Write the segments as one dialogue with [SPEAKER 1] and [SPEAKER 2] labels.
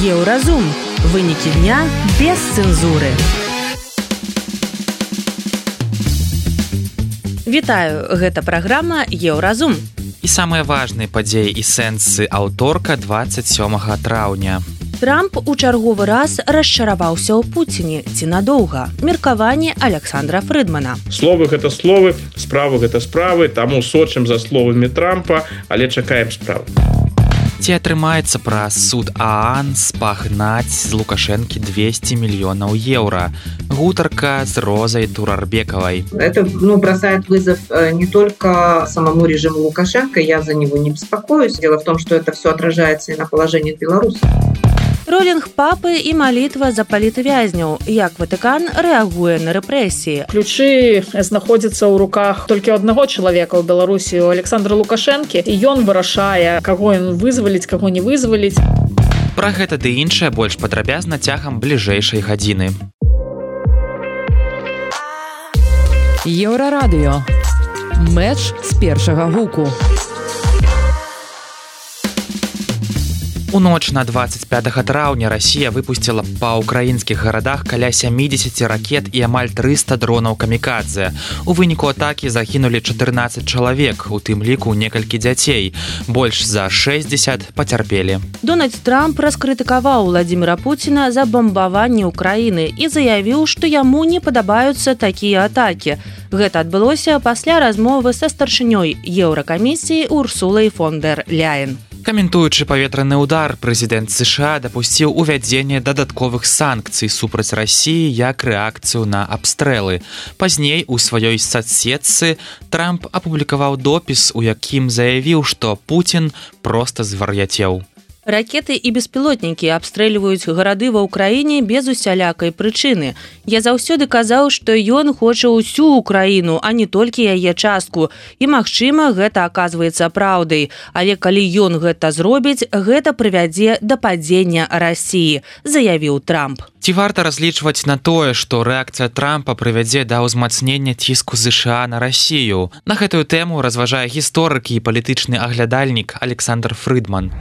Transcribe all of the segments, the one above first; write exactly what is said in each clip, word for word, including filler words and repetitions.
[SPEAKER 1] Еўразум. Вынікі дня без цэнзуры. Вітаю, гэта праграма Еўразум.
[SPEAKER 2] І самыя важныя падзеі і сэнсы аўторка двадцать сёмага траўня.
[SPEAKER 1] Трамп у чарговы раз расчараваўся ў Пуціне. Ці надоўга? Меркаванне Александра Фрыдмана.
[SPEAKER 3] Словы гэта словы, справы гэта справы, таму сочым за словамі Трампа, але чакаем справ.
[SPEAKER 2] Ці атрымаецца праз суд ААН спагнаць з Лукашэнкі двести мільёнаў еўра? Гутарка с Розой Турарбековой.
[SPEAKER 4] Это ну, бросает вызов не только самому режиму Лукашенко, я за него не беспокоюсь. Дело в том, что это все отражается и на положении белорусов.
[SPEAKER 1] Ролінг папы і малітва за палітвязняў. Як Ватыкан рэагуе на рэпрэсіі?
[SPEAKER 5] Ключы знаходзяцца ў руках толькі аднаго чалавека ў Беларусі, у Александра Лукашэнкі, і ён вырашае, каго ён вызваліць, каго не вызваліць.
[SPEAKER 2] Пра гэта ды іншае больш падрабязна цягам бліжэйшай гадзіны.
[SPEAKER 1] Еўрарадыё. Мэч з першага гуку.
[SPEAKER 2] У ноч на двадцать пятага траўня Расія выпусціла па ўкраінскіх гарадах каля сямідзесят ракет і амаль трыста дронаў камікадзе. У выніку атакі загінулі чатырнаццаць чалавек, у тым ліку некалькі дзяцей. Больш за шэсцьдзесят пацярпелі.
[SPEAKER 1] Дональд Трамп раскрытыкаваў Владзіміра Пуціна за бамбаванне ўкраіны і заявіў, што яму не падабаюцца такія атакі. Гэта адбылося пасля размовы са старшынёй Еўракамісіі Урсулай фон дэр Ляйен.
[SPEAKER 2] Каментуючы паветраны ўдар, прэзідэнт США дапусціў увядзенне дадатковых санкцый супраць Расіі як рэакцыю на абстрэлы. Пазней у сваёй сацсетцы Трамп апублікаваў допіс, у якім заявіў, што Пуцін проста звар'яцеў.
[SPEAKER 1] Ракеты і беспілотнікі абстрэльваюць гарады ва ўкраіне без усялякай прычыны. Я заўсёды казаў, што ён хоча ўсю ўкраіну, а не толькі яе частку. І, магчыма, гэта аказваецца праўдай. Але калі ён гэта зробіць, гэта прывядзе да падзення Расіі, заявіў Трамп.
[SPEAKER 2] Ці варта разлічваць на тое, што рэакцыя Трампа прывядзе да ўзмацнення ціску США на Расію? На гэтую тэму разважае гісторык і палітычны аглядальнік Александр Фрыдман.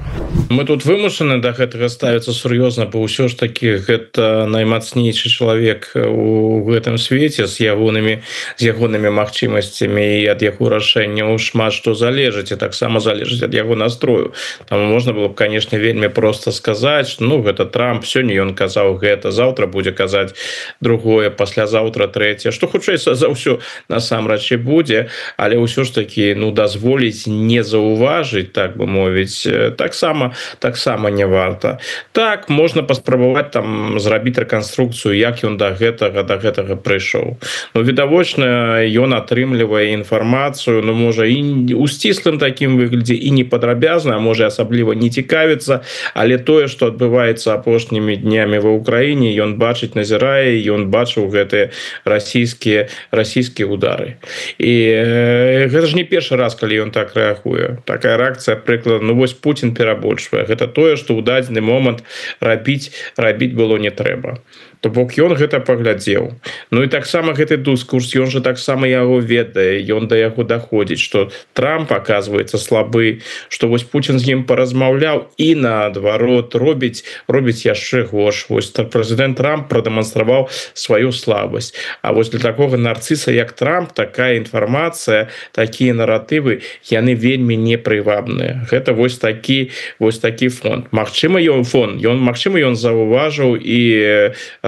[SPEAKER 3] Мы тут вымушаны да гэтага ставіцца сур'ёзна, бо ўсё ж такі гэта наймацнейшы чалавек у гэтым свеце з ягонымі з ягонымі магчымасцямі і ад яго рашэнняў шмат што залежыць, і таксама залежыць ад яго настрою. Таму можна было б, канешне, вельмі проста сказаць, ну гэта Трамп, сёння ён казаў гэта, заўтра будзе казаць другое, паслязаўтра трэцяе, што хутчэй за ўсё насамрэч і будзе, але ўсё ж такі ну дазволіць не заўважыць, так бы мовіць, таксама таксама не варта. Так, можна паспрабаваць там зрабіць рэканструкцыю, як ён да гэтага да гэтага прыйшоў. Ну відавочна, ён атрымлівае інфармацыю, ну можа і у сціслым такім выглядзе і не падрабязна, а можа асабліва не цікавіцца, але тое, што адбываецца апошнімі днямі ва ўкраіне, ён бачыць, назірае, ён бачыў гэтыя расійскія расійскія удары. І э, гэта ж не першы раз, калі ён так рэагуе. Такая рэакцыя, прыклад, ну вось Пуцін перабольшвае. Гэта тое, што ў дадзены момант рабіць рабіць было не трэба. То бок ён гэта паглядзеў. Ну і таксама гэты дыскурс, ён жа таксама яго ведае, ён да яго даходзіць, што Трамп аказваецца слабы, што вось Пуцін з ім паразмаўляў і наадварот робіць робіць яшчэ горш. Вось прэзідэнт Трамп прадэманстраваў сваю слабасць. А вось для такога нарцыса, як Трамп, такая інфармацыя, такія наратывы, яны вельмі непрывабныя. Гэта вось такі вось такі фон. Магчыма, ён фон, ён магчыма, ён заўважыў і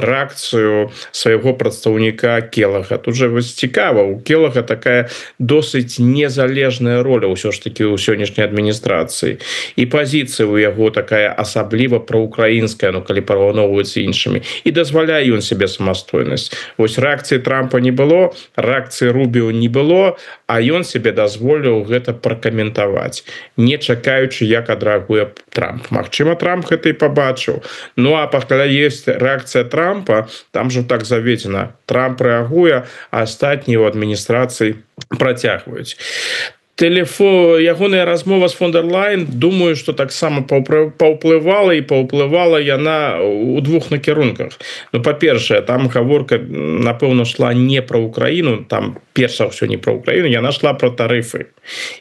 [SPEAKER 3] рэакцыю свайго прадстаўніка Келага. Тут жа вось цікава, у Келага такая досыць незалежная роля ўсё ж такі ў сённяшняй адміністрацыі. І пазіцыя ў яго такая асабліва праўкраінская, ну калі параўноўваецца іншымі. І дазваляе ён сябе самастойнасць. Вось рэакцыі Трампа не было, рэакцыі Рубіо не было, а ён сябе дазволіў гэта пракаментаваць, не чакаючы, як адрэагуе Трамп. Магчыма, Трамп гэта і пабачыў. Ну а пакаля ёсць рэакцыя Трампа, там жа так заведзена. Трамп рэагуе, а астатнія ў адміністрацыі працягваюць. Тэлефон ягоная размова з фон дер Лайн, думаю, што таксама паўплывала і паўплывала яна у двух накірунках. Ну, па-першае, там гаворка, напэўна, шла не пра Украіну, там перш за ўсё не пра Украіну, яна шла пра тарыфы.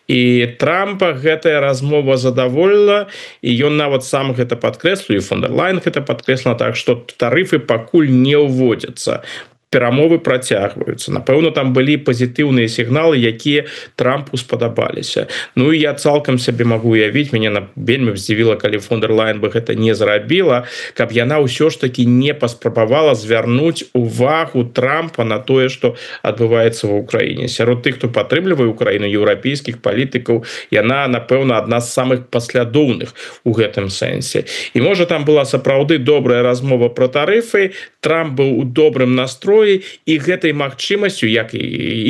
[SPEAKER 3] І Трампа гэтая размова задаволіла, і ён нават сам гэта падкрэсліў, і фон дер Лайн гэта падкрэсліла, так што тарыфы пакуль не ўводзяцца. Перамовы працягваюцца. Напэўна, там былі пазітыўныя сігналы, якія Трампу спадабаліся. Ну і я цалкам сабе магу уявіць, мяне вельмі здзівіла, калі фон дер Лайн бы гэта не зрабіла, каб яна ўсё ж такі не паспрабавала звярнуць увагу Трампа на тое, што адбываецца ва ўкраіне. Сярод тых, хто падтрымлівае Украіну, еўрапейскіх палітыкаў, яна, напэўна, адна з самых паслядоўных у гэтым сэнсе. І можа там была сапраўды добрая размова пра тарыфы, Трамп быў у добрым настроі, і гэтай магчымасцю, як і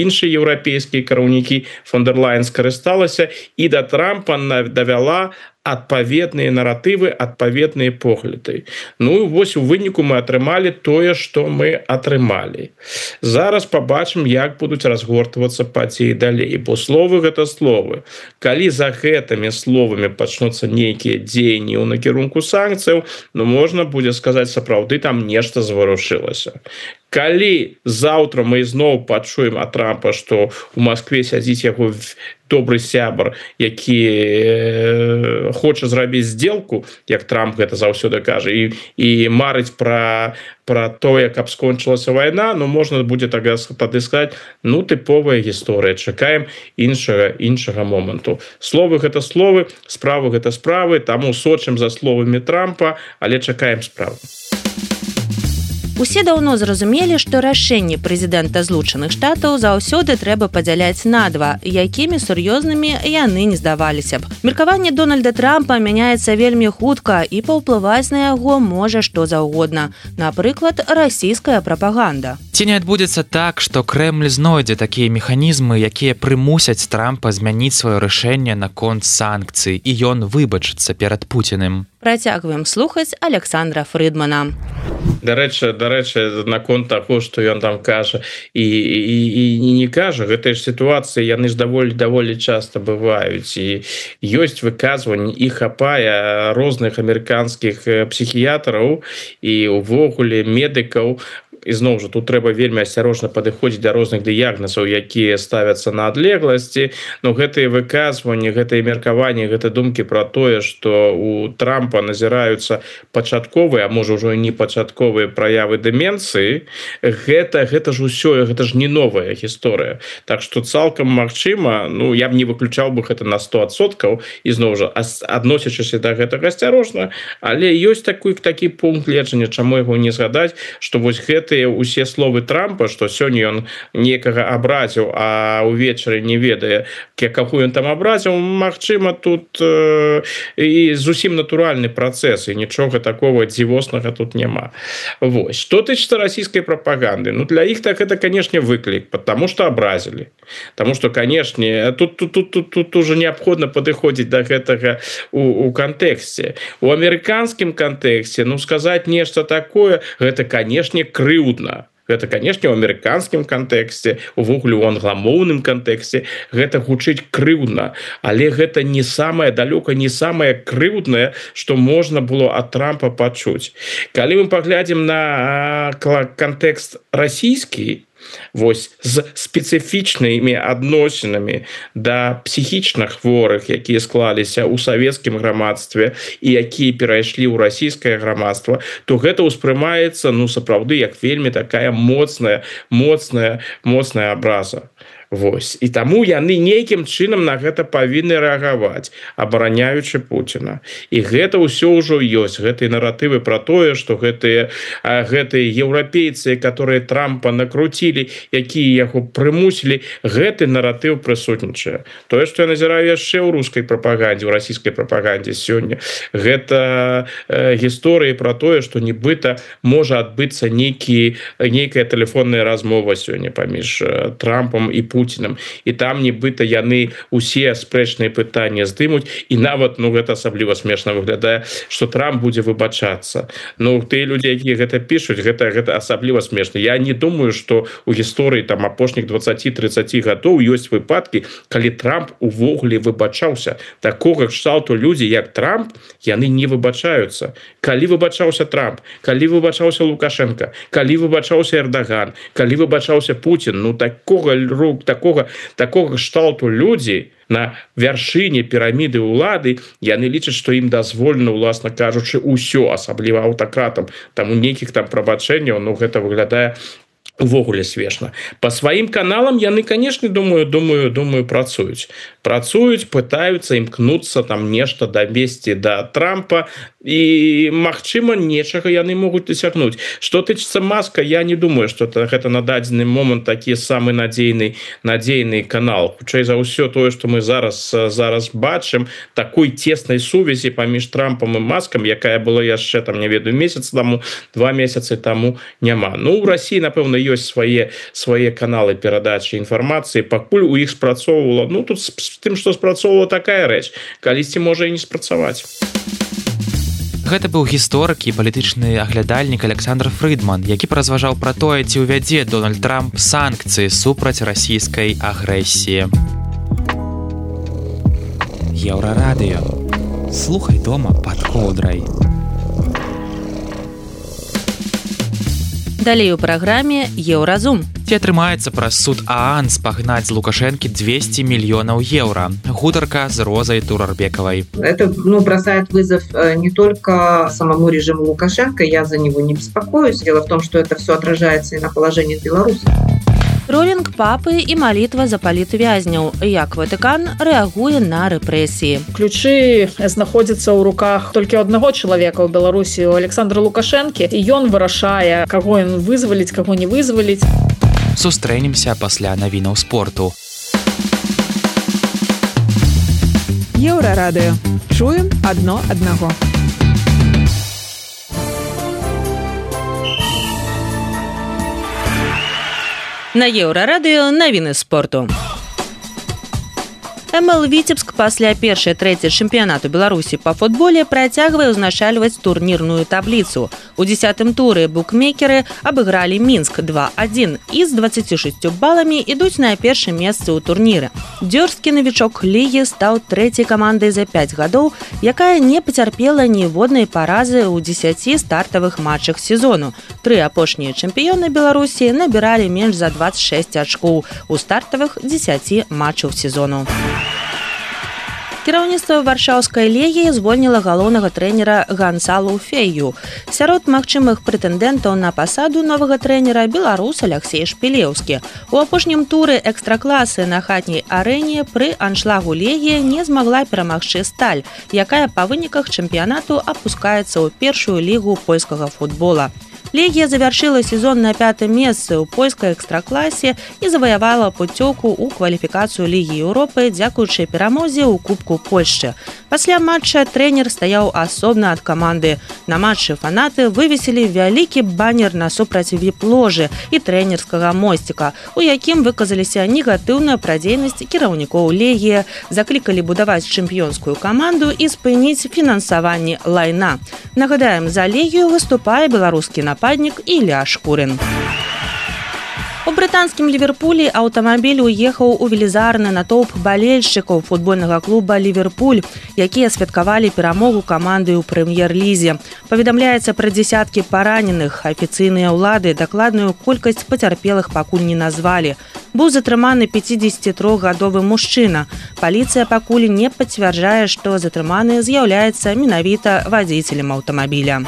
[SPEAKER 3] іншыя еўрапейскія кіраўнікі, фон дер Лайн скарысталася і да Трампа давяла адпаведныя наратывы, адпаведныя погляды. Ну, вось у выніку мы атрымалі тое, што мы атрымалі. Зараз пабачым, як будуць разгортвацца падзеі далей, бо словы гэта словы. Калі за гэтымі словамі пачнуцца нейкія дзеянні ў накірунку санкцыяў, ну, можна будзе сказаць, сапраўды там нешта зварушылася. Калі заўтра мы зноў пачуем ад Трампа, што ў Маскве сядзіць яго добры сябар, які э, хоча зрабіць здзелку, як Трамп гэта заўсёды кажа, і, і марыць пра, пра тое, каб скончылася вайна, ну, можна будзе тады сказаць, ну, тыповая гісторыя, чакаем іншага, іншага моманту. Словы гэта словы, справы гэта справы, таму сочым за словамі Трампа, але чакаем справы.
[SPEAKER 1] Усе даўно зразумелі, што рашэнні прэзідэнта Злучаных Штатаў заўсёды трэба падзяляць на два, якімі сур'ёзнымі яны не здаваліся б. Меркаванне Дональда Трампа мяняецца вельмі хутка, і паўплываць на яго можа што заўгодна. Напрыклад, расійская прапаганда.
[SPEAKER 2] Ці не адбудзецца так, што Крэмль знойдзе такія механізмы, якія прымусяць Трампа змяніць сваё рашэнне наконт санкцый, і ён выбачыцца перад Пуціным?
[SPEAKER 1] Працягваем слухаць Александра Фрыдмана.
[SPEAKER 3] Дарэчы, дарэчы, наконт таго, што ён там кажа і, і, і не кажа, гэтыя ж сітуацыі, яны ж даволі даволі часта бываюць, і ёсць выказванні, і хапае розных амерыканскіх псіхіятраў і ўвогуле медыкаў. І зноў жа, тут трэба вельмі асцярожна падыходзіць да розных дыягназаў, якія ставяцца на адлегласці, но гэтыя выказванні, гэтыя меркаванні, гэта думкі пра тое, што у Трампа назіраюцца пачатковыя, а можа ўжо і не пачатковыя праявы дэмэнцыі, гэта, гэта ж усё, гэта ж не новая гісторыя. Так што цалкам магчыма, ну, я б не выключаў бы гэта на сто адсоткаў, і зноў жа, адносячыся да гэтага асцярожна, але ёсць такі, такі пункт гледжання, чаму яго не згадаць, што вось гэта усе словы Трампа, што сёння ён некага абразіў, а ўвечары не ведае, каго ён там абразіў, магчыма, тут э, і зусім натуральны працэс, і нічога такого дзівоснага тут няма. Вось. Што тычыцца расійскай прапаганды? Ну, для іх так это, канешне, выклік, потому што абразілі. Таму што, канешне, тут, тут, тут, тут, тут уже неабходна падыходзіць да гэтага у, у кантэксце. У амерыканскім кантэксце, ну, сказаць нешта такое, гэта, канешне, крыўдна. Гэта, канешне, у амерыканскім кантэксце, увогуле у англамоўным кантэксце, гэта гучыць крыўдна, але гэта не самае далёка, не самае крыўднае, што можна было ад Трампа пачуць. Калі мы паглядзім на кантэкст расійскі, вось з спецыфічнымі адносінамі да псіхічна хворых, якія склаліся ў савецкім грамадстве і якія перайшлі ў расійскае грамадства, то гэта ўспрымаецца, ну, сапраўды, як вельмі такая моцная, моцная, моцная абраза. Вось. І таму яны нейкім чынам на гэта павінны рэагаваць, абараняючы Пуціна. І гэта ўсё ўжо ёсць, гэтыя наратывы пра тое, што гэтыя, гэтыя еўрапейцы, которые Трампа накруцілі, якія яго прымусілі, гэты наратыў прысутнічае. Тое, што я назіраю яшчэ ў рускай прапагандзе, ў расійскай прапагандзе сёння, гэта э, гісторыі пра тое, што нібыта можа адбыцца нейкі, нейкая тэлефонная размова сёння паміж Трампам і Пуціным, Путиным, і там нібыта яны усе спрэчныя пытанні здымуць, і нават ну гэта асабліва смешна выглядае, што Трамп будзе выбачацца. Ну тыя людзі, якія гэта пішуць, гэта гэта асабліва смешна. Я не думаю, што у гісторыі там апошніх дваццаці-трыццаці гадоў ёсць выпадкі, калі Трамп увогуле выбачаўся. Такога кшталту людзі як Трамп, яны не выбачаюцца. Калі выбачаўся Трамп, калі выбачаўся Лукашенко, калі выбачаўся Эрдаган, калі выбачаўся Путин, ну такога рук, такога такога кшталту людзі на вяршыні піраміды ўлады, яны лічаць, што ім дазволена, уласна кажучы, усё, асабліва аўтакратам. Таму нейкіх там прабачэнняў, ну гэта выглядае увогуле смешна. По сваім каналам яны, конечно, думаю, думаю, думаю, працуюць. Працуюць, пытаюцца імкнуцца там нешта давесці да Трампа, і, магчыма, нечага яны могуць дасягнуць. Што тычыцца Маска, я не думаю, што гэта на дадзены момант такі самы надзейны, надзейны канал. Хутчэй за ўсё тое, што мы зараз, зараз бачым, такой цеснай сувязі паміж Трампам і Маскам, якая была яшчэ, там, не ведаю, месяц таму, два месяцы таму няма. Ну, у Расіі, напэўна, ёсць свае, свае каналы перадачы інфармацыі, пакуль у іх спрацоўвала, ну, тут з тым, што спрацоўвала такая рэч, калісьці можа і не спрацаваць.
[SPEAKER 2] Гэта быў гісторык і палітычны аглядальнік Александр Фрыдман, які паразважаў пра тое, ці ўвядзе Дональд Трамп санкцыі супраць расійскай агрэсіі. Еўрарадыё. Слухай дома пад коўдрай.
[SPEAKER 1] Далей у праграме Еўразум.
[SPEAKER 2] Ці атрымаецца праз суд ААН спагнаць з Лукашэнкі двести мільёнаў еўра. Гутарка з Розай Турарбекавай.
[SPEAKER 4] Это ну, бросает вызов не только самому режиму Лукашенко, я за него не беспокоюсь. Дело в том, что это все отражается и на положении Беларуси.
[SPEAKER 1] Тролінг папы і малітва за палітвязняў. Як Ватыкан рэагуе на рэпрэсіі.
[SPEAKER 5] Ключы знаходзяцца ў руках толькі аднаго чалавека ў Беларусі, у Александра Лукашэнкі, і ён вырашае, каго ён вызваліць, каго не вызваліць.
[SPEAKER 2] Сустрэнемся пасля навінаў спорту.
[SPEAKER 6] Еўрарадыё. Чуем адно аднаго.
[SPEAKER 1] На Еўрарадыё навіны спорту. МЛ Віцебск пасля першай трэцяй чэмпіянату Беларусі па футболе працягвае ўзначальваць турнірную табліцу. У дзесятым туры букмекеры абыгралі Мінск два адзін і з дваццаці шасцю баламі ідуць на першым месцы ў турніры. Дзёрзкі навічок лігі стаў трэцяй камандай за пяць гадоў, якая не пацярпела ніводнай паразы ў дзесяці стартавых матчах сезону. Тры апошнія чэмпіёны Беларусі набіралі менш за дваццаць шэсць ачкоў у стартавых дзесяці матчаў сезону. Кіраўніцтва варшаўскай легіі звольніла галоўнага трэнера Гансалу Фею. Сярод магчымых прэтэндэнтаў на пасаду новага трэнера беларус Аляксей Шпілеўскі. У апошнім туры экстракласы на хатняй арэне пры аншлагу легія не змагла перамагчы Сталь, якая па выніках чэмпіянату апускаецца ў першую лігу польскага футбола. Легія завяршыла сезон на пятым месцы ў польскай экстракласе і заваявала пуцёўку ў кваліфікацыю Лігі Еўропы дзякуючы перамозе ў Кубку Польшчы. Пасля матча трэнер стаяў асобна ад каманды. На матчы фанаты вывесілі вялікі банер насупраць віп-ложы і трэнерскага мосціка, у якім выказаліся негатыўна пра дзейнасць кіраўнікоў Легія, заклікалі будаваць чэмпіёнскую каманду і спыніць фінансаванне лайна. Нагадаем, за Легію выступае беларускі нападнік Ілля Шкурын. У брытанскім Ліверпулі аўтамабіль уехаў у велізарны натоўп балельшчыкаў футбольнага клуба «Ліверпуль», якія святкавалі перамогу каманды ў прэм'ер-лізе. Паведамляецца пра дзесяткі параненых. Афіцыйныя ўлады дакладную колькасць пацярпелых пакуль не назвалі. Быў затрыманы пяцідзесяцітрохгадовы мужчына. Паліцыя пакуль не пацвярджае, што затрыманы з'яўляецца менавіта вадзіцелем аўтамабіля.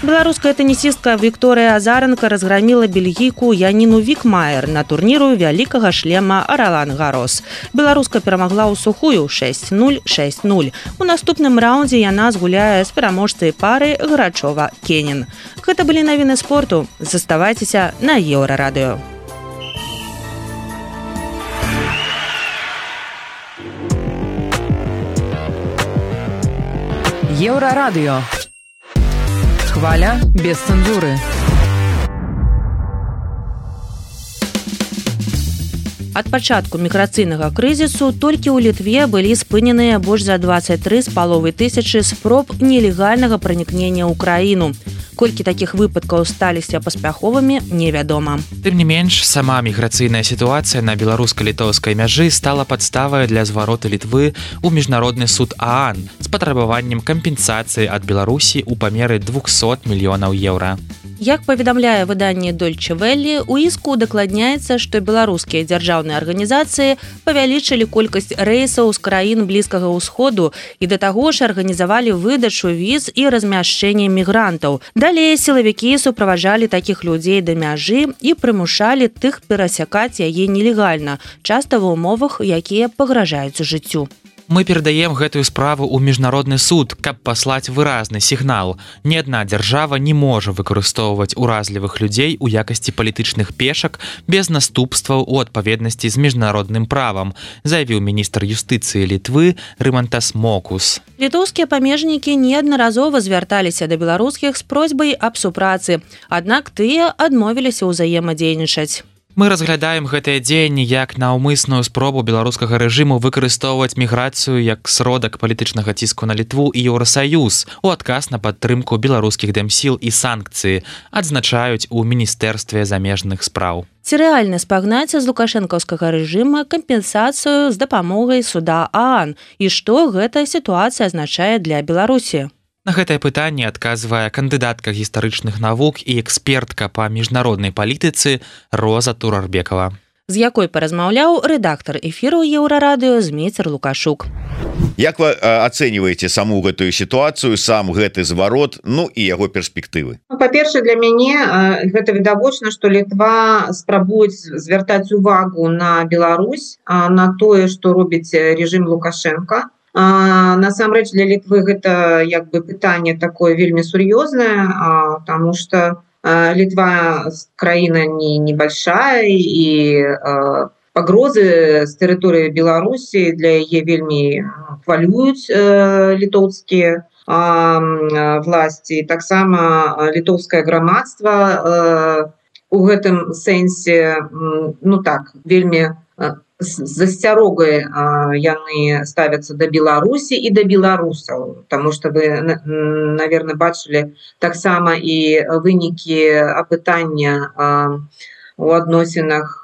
[SPEAKER 1] Беларуская тэнісістка Вікторыя Азаранка разграміла бельгійку Яніну Вікмаер на турніру вялікага шлема Ролан-Гарос. Беларуска перамагла ў сухую шэсць нуль шэсць нуль. У наступным раўндзе яна згуляе з пераможцай пары Грачова-Кенін. Гэта былі навіны спорту. Заставайцеся на Еўрарадыё.
[SPEAKER 6] Еўрарадыё. Хваля без цензуры.
[SPEAKER 1] Ад пачатку міграцыйнага крызісу толькі ў Літве былі спыненыя больш за дваццаць тры з паловай тысячы спроб нелегальнага пранікнення ў краіну. Колькі такіх выпадкаў сталіся паспяховымі, невядома.
[SPEAKER 2] Тым не менш, сама міграцыйная сітуацыя на беларуска-літоўскай мяжы стала падставай для звароту Літвы ў міжнародны суд ААН з патрабаваннем кампенсацыі ад Беларусі ў памеры двухсот мільёнаў еўра.
[SPEAKER 1] Як паведамляе выданне Deutsche Welle, у іску удакладняецца, што беларускія дзяржаўныя арганізацыі павялічылі колькасць рэйсаў з краін Блізкага ўсходу і да таго ж арганізавалі выдачу віз і размяшчэнне мігрантаў. Далей сілавікі суправаджалі такіх людзей да мяжы і прымушалі тых перасякаць яе нелегальна, часта ва ўмовах, якія пагражаюць жыццю.
[SPEAKER 2] Мы перадаем гэтую справу ў міжнародны суд, каб паслаць выразны сігнал. Ні адна дзяржава не можа выкарыстоўваць уразлівых людзей у якасці палітычных пешак без наступстваў у адпаведнасці з міжнародным правам, заявіў міністр юстыцыі Літвы Рымантас Мокус.
[SPEAKER 1] Літоўскія памежнікі неаднаразова звярталіся да беларускіх з просьбай аб супрацы, аднак тыя адмовіліся ўзаемадзейнічаць.
[SPEAKER 2] Мы разглядаем гэтыя дзеянні як наўмысную спробу беларускага рэжыму выкарыстоўваць міграцыю як сродак палітычнага ціску на Літву і Еўрасаюз у адказ на падтрымку беларускіх дэмсіл і санкцыі, адзначаюць у міністэрстве замежных спраў.
[SPEAKER 1] Ці рэальна спагнаць з лукашэнкаўскага рэжыма кампенсацыю з дапамогай суда ААН і што гэтая сітуацыя азначае для Беларусі?
[SPEAKER 2] На гэтае пытанне адказвае кандыдатка гістарычных навук і экспертка па міжнароднай палітыцы Роза Турарбекова,
[SPEAKER 1] з якой паразмаўляў рэдактар эфіру Еўрарадыё Змейцер Лукашук.
[SPEAKER 7] Як вы ацэньваеце саму гэтую сітуацыю, сам гэты зварот, ну і яго перспектывы?
[SPEAKER 4] Па-першае, для мяне гэта відавочна, што Літва спрабуюць звяртаць увагу на Беларусь, на тое, што робіць рэжым Лукашенка. А, насамрэч для Літвы гэта як бы пытанне такое вельмі сур'ёзнае, потому что а, Літва краіна не небольшая і а, пагрозы з тэрыторыі Беларусі для яе вельмі хвалююць а, літоўскія а, власці. Таксама літоўскае грамадства а, у гэтым сэнсе, ну так, вельмі з засцярогай яны ставяцца да Беларусі і да беларусаў, таму што вы, наверное, бачылі таксама і вынікі апытання у адносінах,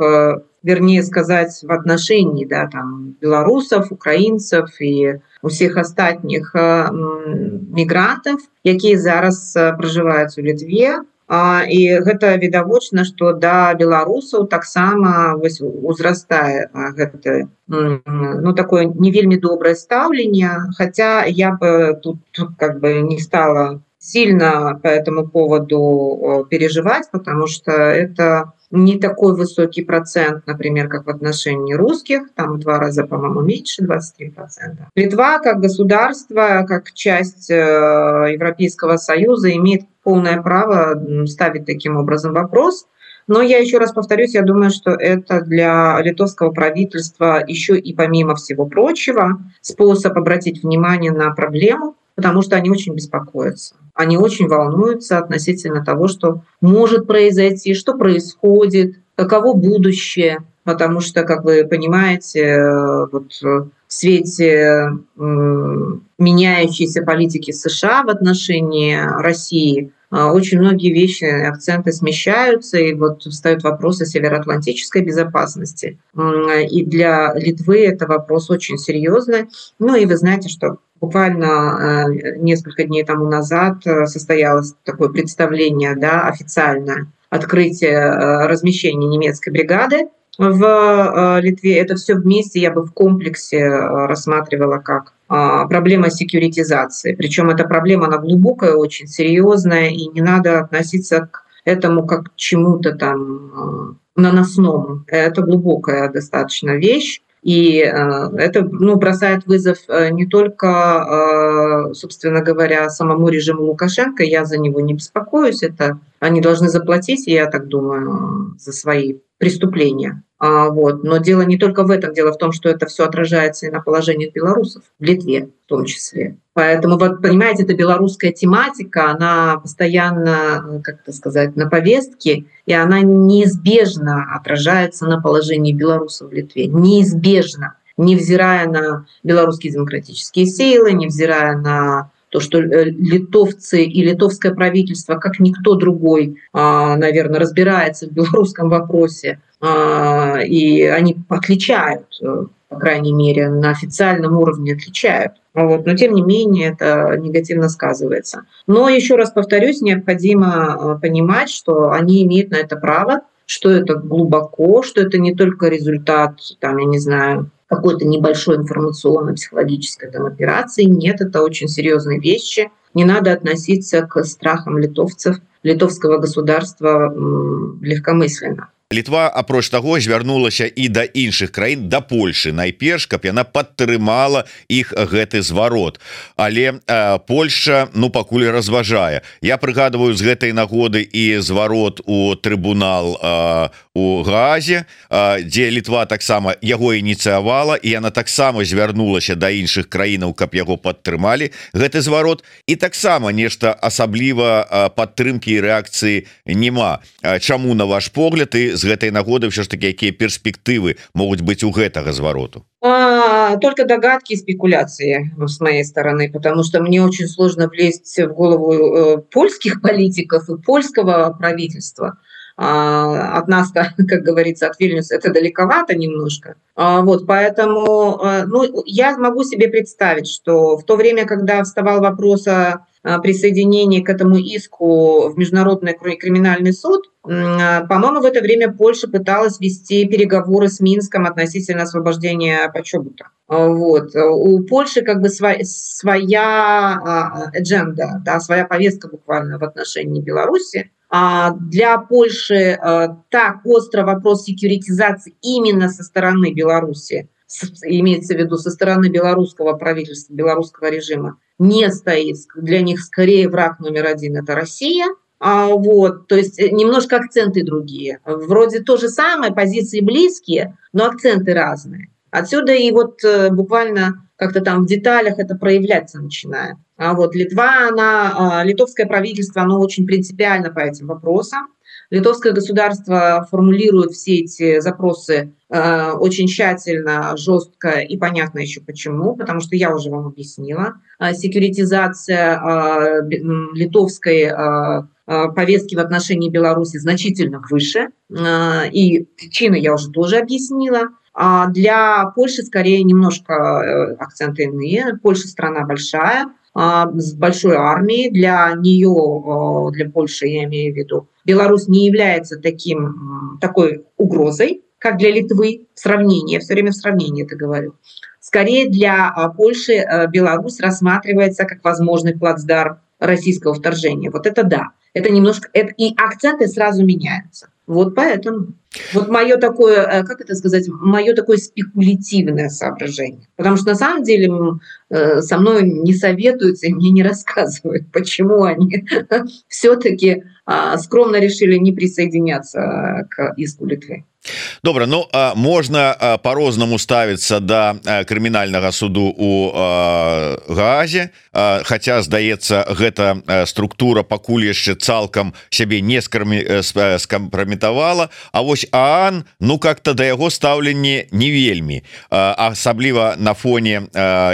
[SPEAKER 4] вернее сказаць, в отношении, да, там, беларусаў, украінцаў і усіх астатніх мігрантаў, якія зараз пражываюць у Літве. А, і гэта відавочна, што да беларусаў таксама узрастае гэта, ну, такое не вельмі добрае стаўленне, хаця я бы тут, тут как бы не стала сильно по этому поводу переживать, потому что это не такой высокий процент, например, как в отношении русских, там в два раза, по-моему, меньше, двадцать три процента. Литва как государство, как часть Европейского Союза имеет полное право ставить таким образом вопрос. Но я еще раз повторюсь, я думаю, что это для литовского правительства еще и помимо всего прочего способ обратить внимание на проблему, потому что они очень беспокоятся. Они очень волнуются относительно того, что может произойти, что происходит, каково будущее. Потому что, как вы понимаете, вот в свете меняющейся политики США в отношении России очень многие вещи, акценты смещаются, и вот встают вопросы североатлантической безопасности. И для Литвы это вопрос очень серьезный. Ну и вы знаете, что буквально несколько дней тому назад состоялось такое представление, да, официальное, открытие размещения немецкой бригады в Литве. Это все вместе я бы в комплексе рассматривала как проблема секьюритизации. Причем эта проблема, она глубокая, очень серьезная, и не надо относиться к этому как к чему-то там наносному. Это глубокая достаточно вещь. И это, ну, бросает вызов не только, собственно говоря, самому режиму Лукашенко, я за него не беспокоюсь, это они должны заплатить, я так думаю, за свои преступления. А, вот. Но дело не только в этом. Дело в том, что это все отражается и на положении белорусов, в Литве в том числе. Поэтому, вот, понимаете, эта белорусская тематика, она постоянно, как это сказать, на повестке, и она неизбежно отражается на положении белорусов в Литве. Неизбежно. Невзирая на белорусские демократические силы, невзирая на то, что литовцы и литовское правительство, как никто другой, наверное, разбирается в белорусском вопросе, и они отличают, по крайней мере, на официальном уровне отличают. Вот. Но, тем не менее, это негативно сказывается. Но, еще раз повторюсь, необходимо понимать, что они имеют на это право, что это глубоко, что это не только результат, там, я не знаю, какой-то небольшой информационно-психологической там операции. Нет, это очень серьезные вещи. Не надо относиться к страхам литовцев, литовского государства легкомысленно.
[SPEAKER 7] Літва, апроч таго, звярнулася і да іншых краін, да Польшы, найперш, каб яна падтрымала іх гэты зварот. Але э, Польша, ну, пакуль разважае. Я прыгадываю з гэтай нагоды і зварот у трыбунал э, у Гаазе, э, дзе Літва таксама яго ініцыявала, і яна таксама звярнулася да іншых краінаў, каб яго падтрымалі, гэты зварот. І таксама нешта асабліва э, падтрымкі і рэакцыі няма. Э, чаму, на ваш погляд, і з гэтай нагоды все ж таки какие перспективы могут быть у гэтага звароту?
[SPEAKER 4] А, только догадки и спекуляции с моей стороны, потому что мне очень сложно влезть в голову э, польских политиков и польского правительства. А, от нас, как, как говорится, от Вильнюса это далековато немножко. А, вот, поэтому э, ну, я могу себе представить, что в то время, когда вставал вопрос о присоединении к этому иску в Международный криминальный суд, по-моему, в это время Польша пыталась вести переговоры с Минском относительно освобождения Почобута. Вот. У Польши как бы своя, своя адженда, да, своя повестка буквально в отношении Беларуси. А для Польши так остро вопрос секьюритизации именно со стороны Беларуси, имеется в виду со стороны белорусского правительства, белорусского режима, не стоит. Для них скорее враг номер один – это Россия. А, вот, то есть немножко акценты другие. Вроде то же самое, позиции близкие, но акценты разные. Отсюда и вот буквально как-то там в деталях это проявляться начинает. А вот Литва, она, литовское правительство, оно очень принципиально по этим вопросам. Литовское государство формулирует все эти запросы э, очень тщательно, жестко и понятно еще почему, потому что я уже вам объяснила. Э, секьюритизация э, литовской э, повестки в отношении Беларуси значительно выше, э, и причины я уже тоже объяснила. А для Польши скорее немножко э, акценты иные. Польша страна большая, с большой армией. Для нее, для Польши, я имею в виду, Беларусь не является таким, такой угрозой, как для Литвы в сравнении. Я все время в сравнении это говорю. Скорее для Польши Беларусь рассматривается как возможный плацдарм российского вторжения. Вот это да. Это немножко... Это, и акценты сразу меняются. Вот поэтому. Вот мое такое, как это сказать, мое такое спекулятивное соображение. Потому что на самом деле со мной не советуются и мне не рассказывают, почему они все-таки скромно решили не присоединяться к иску Литвы.
[SPEAKER 7] Добра, ну а можна по-рознаму ставіцца да крымінальнага суду у Гаазе, хаця здаецца гэта структура пакуль яшчэ цалкам сябе не скампраметавала, а вось ААН, ну как-то да яго стаўленне не вельмі, асабліва на фоне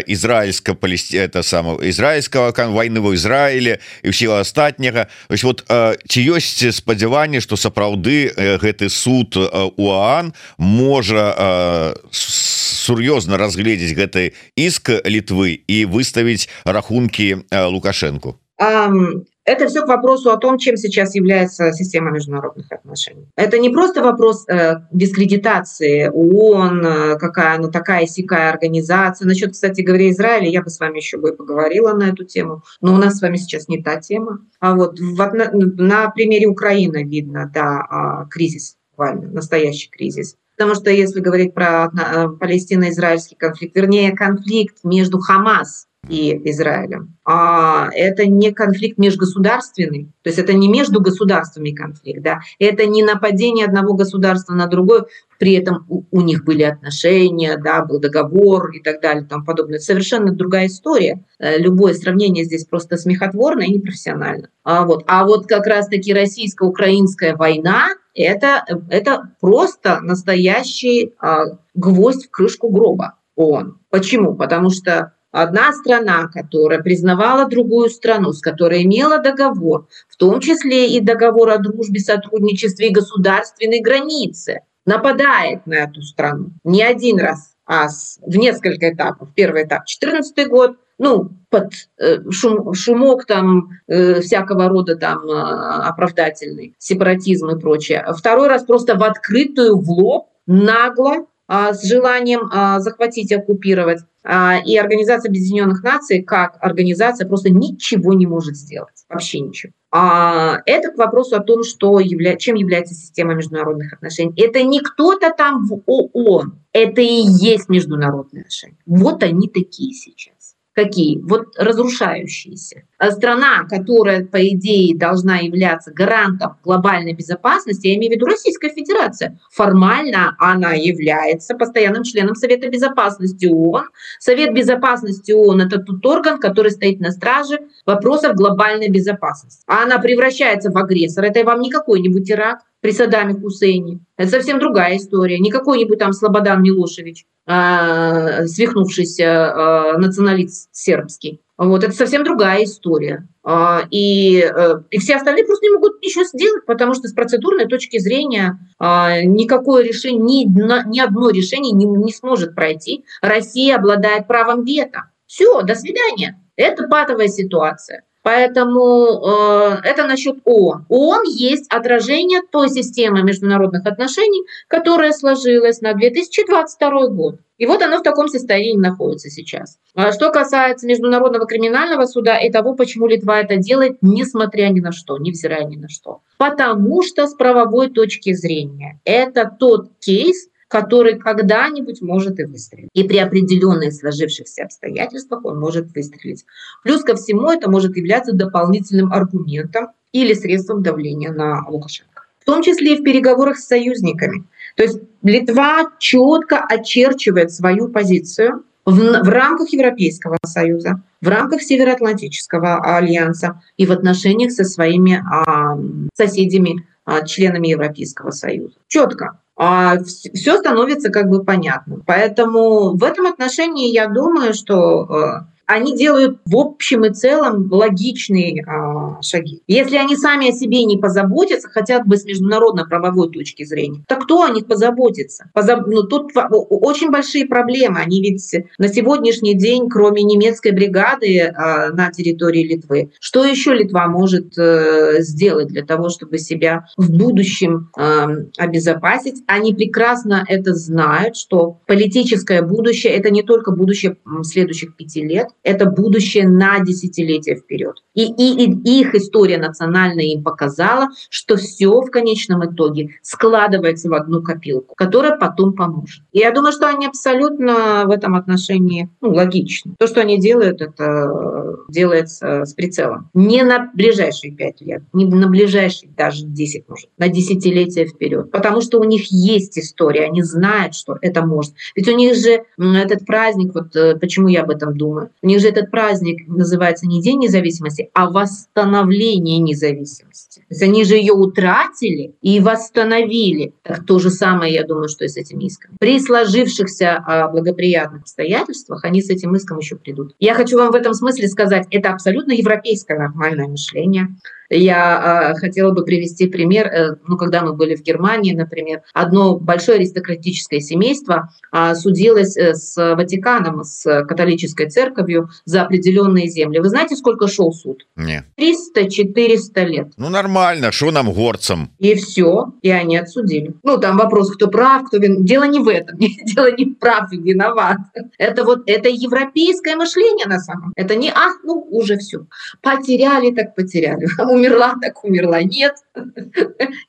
[SPEAKER 7] ізраільска-палесці это само ізраільскага вайны ва Ізраілі і ўсяго астатняга. Вось вот ці ёсць спадзяванне, што сапраўды гэты суд у ААН можа сур'ёзна разгледзець гэты иск Литвы и выставить рахунки Лукашенко?
[SPEAKER 4] Это все к вопросу о том, чем сейчас является система международных отношений. Это не просто вопрос э, дискредитации ООН, э, какая она такая сякая организация. Насчет, кстати говоря, Израиля я бы с вами еще бы поговорила на эту тему, но у нас с вами сейчас не та тема. А вот в, на, на примере Украины видно, да, кризис, буквально, настоящий кризис. Потому что если говорить про палестино-израильский конфликт, вернее, конфликт между Хамас и Израилем. А это не конфликт межгосударственный, то есть это не между государствами конфликт, да, это не нападение одного государства на другое, при этом у, у них были отношения, да, был договор и так далее, и тому подобное. Это совершенно другая история. Любое сравнение здесь просто смехотворно и непрофессионально. А вот, а вот как раз-таки российско-украинская война это, это просто настоящий а, гвоздь в крышку гроба ООН. Почему? Потому что одна страна, которая признавала другую страну, с которой имела договор, в том числе и договор о дружбе, сотрудничестве и государственной границе, нападает на эту страну не один раз, а в несколько этапов. Первый этап — четырнадцатый год, ну, под э, шум, шумок там э, всякого рода там э, оправдательный, сепаратизм и прочее. Второй раз просто в открытую, в лоб, нагло, э, с желанием э, захватить, оккупировать. Э, и Организация Объединенных Наций как организация просто ничего не может сделать. Вообще ничего. А это к вопросу о том, что явля... чем является система международных отношений. Это не кто-то там в ООН, это и есть международные отношения. Вот они такие сейчас. Какие? Вот разрушающиеся. А страна, которая, по идее, должна являться гарантом глобальной безопасности, я имею в виду Российская Федерация, формально она является постоянным членом Совета Безопасности ООН. Совет Безопасности ООН — это тот орган, который стоит на страже вопросов глобальной безопасности. А она превращается в агрессора. Это вам не какой-нибудь Ирак при Саддаме Хусейне. Это совсем другая история. Не какой-нибудь там Слободан Милошевич, э, свихнувшийся э, националист сербский. Вот, это совсем другая история. Э, и, э, и все остальные просто не могут ничего сделать, потому что с процедурной точки зрения э, никакое решение, ни, ни одно решение не, не сможет пройти. Россия обладает правом вето. Все, до свидания. Это патовая ситуация. Поэтому э, это насчет ООН. ООН есть отражение той системы международных отношений, которая сложилась на две тысячи двадцать второй год. И вот оно в таком состоянии находится сейчас. Что касается Международного криминального суда и того, почему Литва это делает, несмотря ни на что, невзирая ни на что. Потому что с правовой точки зрения это тот кейс, который когда-нибудь может и выстрелить. И при определенных сложившихся обстоятельствах он может выстрелить. Плюс ко всему это может являться дополнительным аргументом или средством давления на Лукашенко. В том числе и в переговорах с союзниками. То есть Литва четко очерчивает свою позицию в, в рамках Европейского Союза, в рамках Североатлантического альянса и в отношениях со своими а, соседями, а, членами Европейского Союза. Четко. А все становится как бы понятным. Поэтому в этом отношении я думаю, что они делают в общем и целом логичные а, шаги. Если они сами о себе не позаботятся, хотя бы с международно-правовой точки зрения, то кто о них позаботится? Позаб... Ну, тут очень большие проблемы. Они ведь на сегодняшний день, кроме немецкой бригады а, на территории Литвы, что еще Литва может а, сделать для того, чтобы себя в будущем а, обезопасить? Они прекрасно это знают, что политическое будущее — это не только будущее следующих пяти лет, это будущее на десятилетия вперед. И, и, и их история национальная им показала, что все в конечном итоге складывается в одну копилку, которая потом поможет. И я думаю, что они абсолютно в этом отношении ну, логичны. То, что они делают, это делается с прицелом. Не на ближайшие пять лет, не на ближайшие даже десять, может, на десятилетия вперед. Потому что у них есть история, они знают, что это может. Ведь у них же этот праздник, вот почему я об этом думаю, у них же этот праздник называется не День независимости, а восстановление независимости. То есть они же ее утратили и восстановили. Так то же самое, я думаю, что и с этим иском. При сложившихся благоприятных обстоятельствах они с этим иском еще придут. Я хочу вам в этом смысле сказать, это абсолютно европейское нормальное мышление. Я э, хотела бы привести пример, э, ну, когда мы были в Германии, например, одно большое аристократическое семейство э, судилось э, с Ватиканом, с католической церковью за определенные земли. Вы знаете, сколько шел суд?
[SPEAKER 7] Нет.
[SPEAKER 4] триста-четыреста лет.
[SPEAKER 7] Ну, нормально, что нам, горцам?
[SPEAKER 4] И все, и они отсудили. Ну, там вопрос, кто прав, кто виноват. Дело не в этом, дело не в прав и виноват. Это вот, это европейское мышление на самом деле. Это не, а, ну, уже все. Потеряли, так потеряли. Умерла, так умерла. Нет,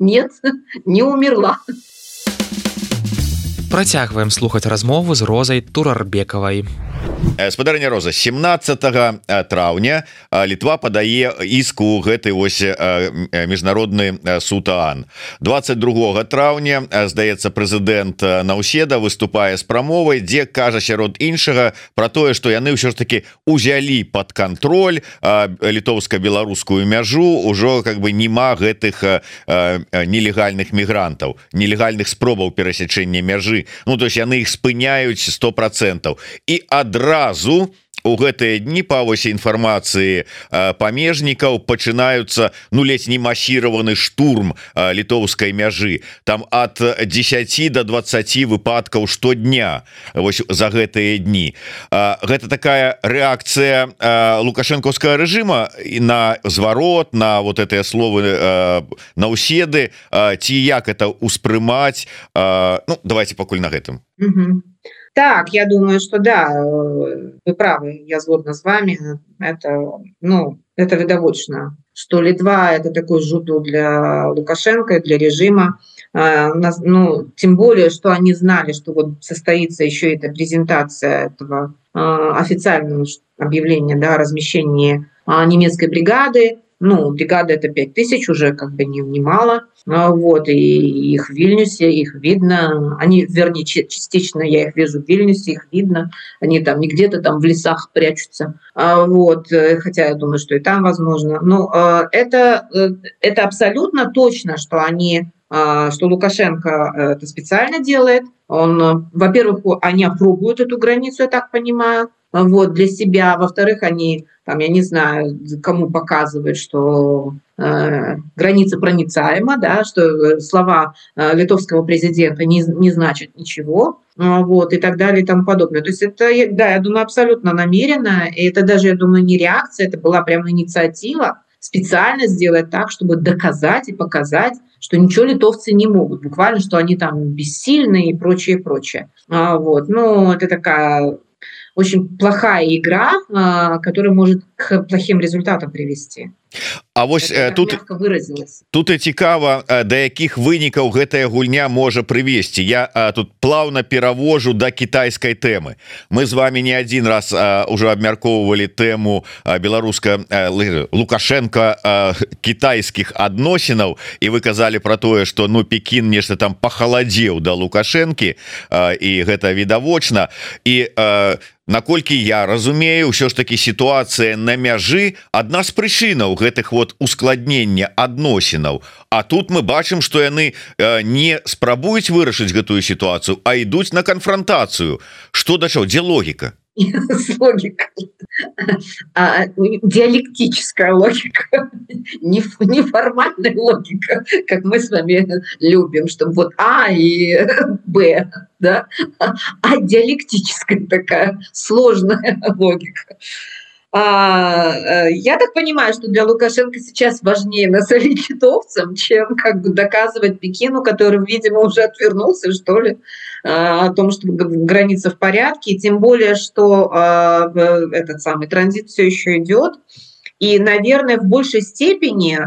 [SPEAKER 4] нет, не умерла.
[SPEAKER 2] Працягваем слухаць размову з Розай Турарбекавай.
[SPEAKER 7] Спадарня Роза, семнадцатага траўня Літва падае іск у гэты вось міжнародны суд ААН. двадцать другога траўня, здаецца, прэзідэнт Наўседа выступае з прамовай, дзе кажа сярод іншага пра тое, што яны ўсё ж таки узялі пад кантроль літоўска-беларускую мяжу, ужо как бы нема гэтых нелегальных мігрантаў, нелегальных спробаў перасячэння мяжы. Ну, то есть яны іх спыняюць сто процентаў. І адразу Разу у гэтыя дні па вось інфармацыі памежнікаў пачынаюцца ну ледзь не масіраваны штурм літоўскай мяжы. Там ад дзесяці до двадцаці выпадкаў штодня вось за гэтыя дні. Гэта такая рэакцыя лукашэнкаўскага рэжыма і на зварот, на вот гэтыя словы Наўседы, ці як это ўспрымаць? Ну, давайте пакуль на гэтым.
[SPEAKER 4] Угу. Так, я думаю, что да, вы правы, я згодна с вами. Это, ну, это видовочно, что Литва – это такой жупел для Лукашенко, для режима. Ну, тем более, что они знали, что вот состоится еще эта презентация этого официального объявления, да, о размещении немецкой бригады. Ну, бригада это пять тысяч, уже как бы не, не мало. Вот, и их в Вильнюсе, их видно. Они, вернее, частично я их вижу в Вильнюсе, их видно. Они там не где-то там в лесах прячутся. Вот, хотя я думаю, что и там возможно. Но это, это абсолютно точно, что они, что Лукашенко это специально делает. Он, во-первых, они опробуют эту границу, я так понимаю, вот, для себя. Во-вторых, они, там, я не знаю, кому показывают, что э, граница проницаема, да, что слова э, литовского президента не, не значат ничего, э, вот, и так далее и тому подобное. То есть это, да, я думаю, абсолютно намеренно, и это даже, я думаю, не реакция, это была прямо инициатива специально сделать так, чтобы доказать и показать, что ничего литовцы не могут, буквально, что они там бессильны и прочее, прочее. А, вот, ну, это такая очень плохая игра, которая может к плохим результатам привести.
[SPEAKER 7] А вось
[SPEAKER 4] это,
[SPEAKER 7] тут тут і цікава, да якіх вынікаў гэтая гульня можа прывесці. Я а, тут плаўна перавожу да кітайскай тэмы. Мы з вами не адзін раз а, уже абмяркоўвалі тэму беларуска а, Лукашенко а, кітайскіх адносінаў, і вы казалі пра тое, што ну Пекін нешта там пахаладзеў да Лукашэнкі, а, і гэта відавочна. І а, наколькі я разумею, ўсё ж таки сітуацыя на мяжы адна з прычынаў гэтых вот ускладнення адносінаў. А тут мы бачым, што яны не спрабуюць вырашыць гэтую сітуацыю, а ідуць на канфронтацыю. Што да чаго, дзе логіка?
[SPEAKER 4] Логика. А, диалектическая логика, не, не формальная логика, как мы с вами любим, чтобы вот А и Б, да? А диалектическая такая сложная логика. А, я так понимаю, что для Лукашенко сейчас важнее насолить литовцам, чем как бы доказывать Пекину, который, видимо, уже отвернулся, что ли, о том, что граница в порядке, и тем более, что этот самый транзит все еще идет, и, наверное, в большей степени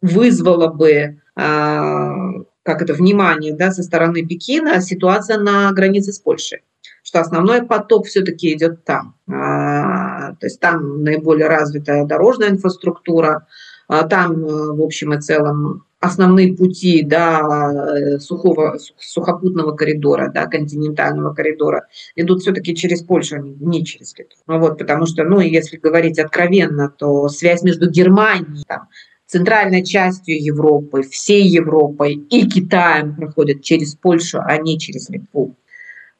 [SPEAKER 4] вызвало бы как это, внимание, да, со стороны Пекина ситуация на границе с Польшей, что основной поток все-таки идет там. А, то есть там наиболее развитая дорожная инфраструктура, а там, в общем и целом, основные пути, да, сухого, сухопутного коридора, да, континентального коридора идут все-таки через Польшу, не через Литву. Вот, потому что, ну, если говорить откровенно, то связь между Германией, там, центральной частью Европы, всей Европой и Китаем проходит через Польшу, а не через Литву.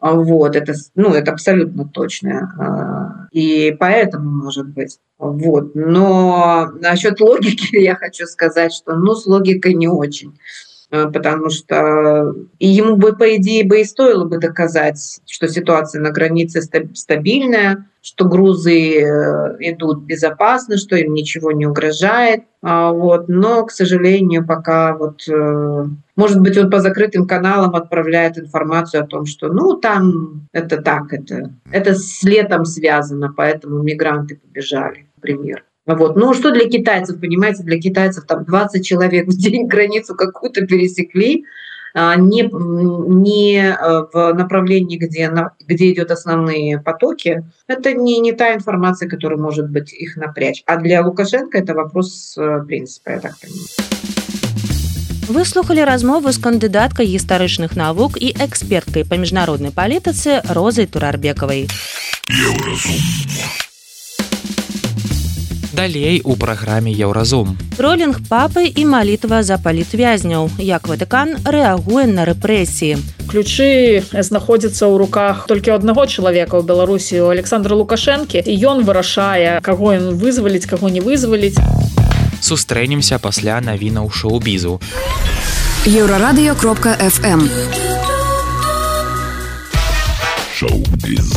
[SPEAKER 4] Вот, это, ну, это абсолютно точно. И поэтому, может быть. Вот. Но насчет логики я хочу сказать, что ну, с логикой не очень. Потому что и ему бы, по идее, бы и стоило бы доказать, что ситуация на границе стабильная, что грузы идут безопасно, что им ничего не угрожает. Вот. Но, к сожалению, пока вот, может быть, он по закрытым каналам отправляет информацию о том, что ну там это так, это, это с летом связано, поэтому мигранты побежали, например. Вот. Ну, что для китайцев, понимаете, для китайцев там двадцать человек в день границу какую-то пересекли, не, не в направлении, где, где идет основные потоки, это не, не та информация, которая может быть их напрячь. А для Лукашенко это вопрос принципа, я так понимаю.
[SPEAKER 1] Вы слухали размову з кандыдаткай гістарычных навук і эксперткай па міжнароднай палітыцы Розай Турарбекавай.
[SPEAKER 2] Далей у праграме Еўразум.
[SPEAKER 1] Тролінг папы і малітва за палітвязняў. Як Ватыкан рэагуе на рэпрэсіі.
[SPEAKER 5] Ключы знаходзяцца ў руках толькі аднаго чалавека ў Беларусі, у Александра Лукашэнкі, і ён вырашае, каго ён вызваліць, каго не вызваліць.
[SPEAKER 2] Сустрэнемся пасля навінаў шоу-бізу.
[SPEAKER 8] Еўрарадыё кропка эф эм.
[SPEAKER 9] Шоу-біз.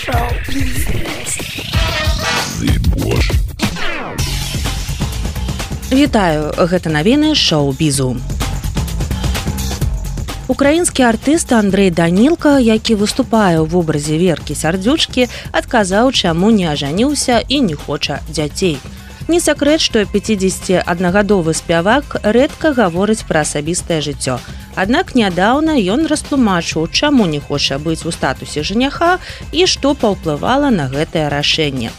[SPEAKER 9] Шоу-біз.
[SPEAKER 1] Вітаю, гэта навіны шоу-бізу. Украінскі артыст Андрэй Данілка, які выступае ў вобразе Веркі Сардзючкі, адказаў, чаму не ажаніўся і не хоча дзяцей. Не сакрэт, што пяцідзесяціаднагадовы спявак рэдка гаворыць пра асабістае жыццё. Аднак нядаўна ён растлумачыў, чаму не хоча быць у статусе жаніха і што паўплывала на гэтае рашэнне.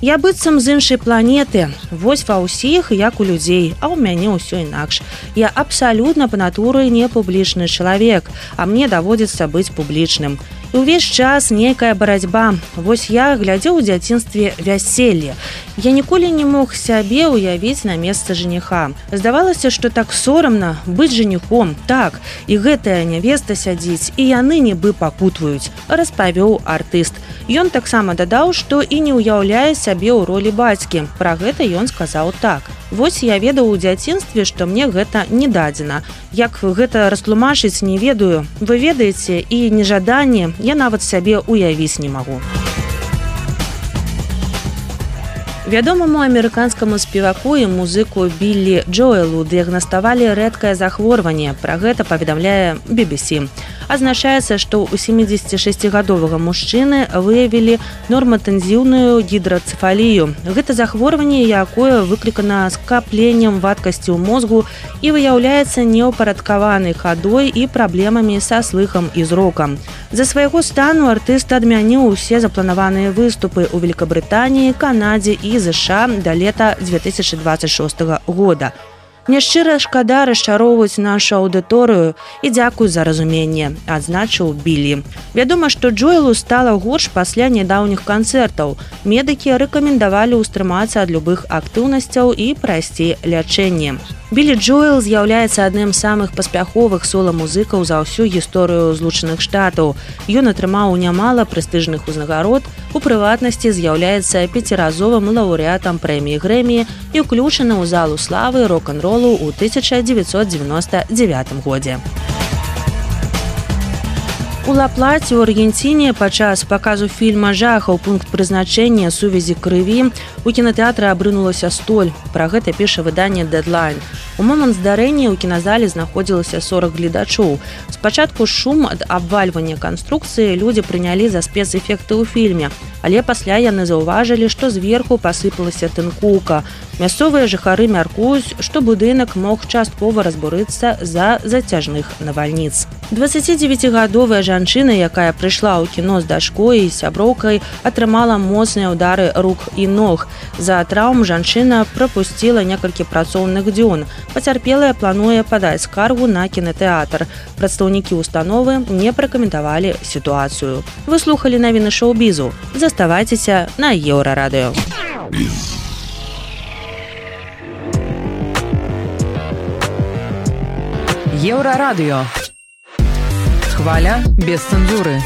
[SPEAKER 1] Я быццам з іншай планеты. Вось ва ўсіх, як у людзей, а ў мяне ўсё інакш. Я абсалютна па натуры не публічны чалавек, а мне даводзіцца быць публічным. І ўвесь час нейкая барацьба. Вось я глядзеў у дзяцінстве вяселле. Я ніколі не мог сябе ўявіць на месца жаніха. Здавалася, што так сорамна быць жаніхом. Так, і гэтая нявеста сядзіць, і яны нібы пакутваюць, распавёў артыст. Ён таксама дадаў, што і не ўяўляе сябе ў ролі бацькі. Пра гэта ён сказаў так. Вось я ведаў у дзяцінстве, што мне гэта не дадзена. Як гэта растлумачыць, не ведаю. Вы ведаеце, і нежаданне я нават сябе ўявіць не магу. Вядомаму амерыканскаму спеваку і музыку Біллі Джоэлу дыягнаставалі рэдкае захворванне. Пра гэта паведамляе би би сі. Азначаецца, што ў семідзесяцішасцігадовага мужчыны выявілі норматэнзіўную гідрацэфалію. Гэта захворванне, якое выклікана скапленнем вадкасці ў мозгу і выяўляецца неўпарадкаванай хадой і праблемамі са слыхам і зрокам. За свайго стану артыст адмяніў усе запланаваныя выступы ў Великабрытаніі, Канадзе і ЗША да лета дзве тысячы дваццаць шостага года. Мне шчыра шкада расчароўваць нашу аўдыторыю і дзякуй за разуменне, адзначыў Біллі. Вядома, што Джоэлу стала горш пасля нядаўніх канцэртаў. Медыкі рэкамендавалі ўстрымацца ад любых актыўнасцяў і прайсці лячэнне. Біллі Джоэл з'яўляецца адным з самых паспяховых сола-музыкаў за ўсю гісторыю Злучаных Штатаў. Ён атрымаў нямала прэстыжных узнагарод, у прыватнасці з'яўляецца пяціразовым лаўрэатам прэміі Грэмі і ўключаны ў залу славы рок-н-ролу ў тысяча дзевяцьсот дзевяноста дзевятым годзе. У Ла-Плаце ў Аргенціне падчас паказу фільма «Жахаў. Пункт прызначэння. Сувязі крыві» у кінатэатры абрынулася столь. Пра гэта піша выданне «Дэдлайн». У момант здарэння ў кіназале знаходзілася сорак гледачоў. Спачатку шум ад абвальвання канструкцыі людзі прынялі за спецэфекты ў фільме, але пасля яны заўважылі, што зверху пасыпалася тынкоўка. Мясцовыя жыхары мяркуюць, што будынак мог часткова разбурыцца з-за зацяжных навальніц. дваццацідзевяцігадовая жанчына, якая прыйшла ў кіно з дачкой і сяброўкай, атрымала моцныя ўдары рук і ног. За траўм жанчына прапусціла некалькі працоўных дзён. Пацярпелая плануе падаць скаргу на кінатэатр. Прадстаўнікі установы не пракаментавалі сітуацыю. Вы слухалі навіны шоу-бізу. Заставайцеся на Еўрарадыё.
[SPEAKER 6] Еўрарадыё. Хваля без цэнзуры.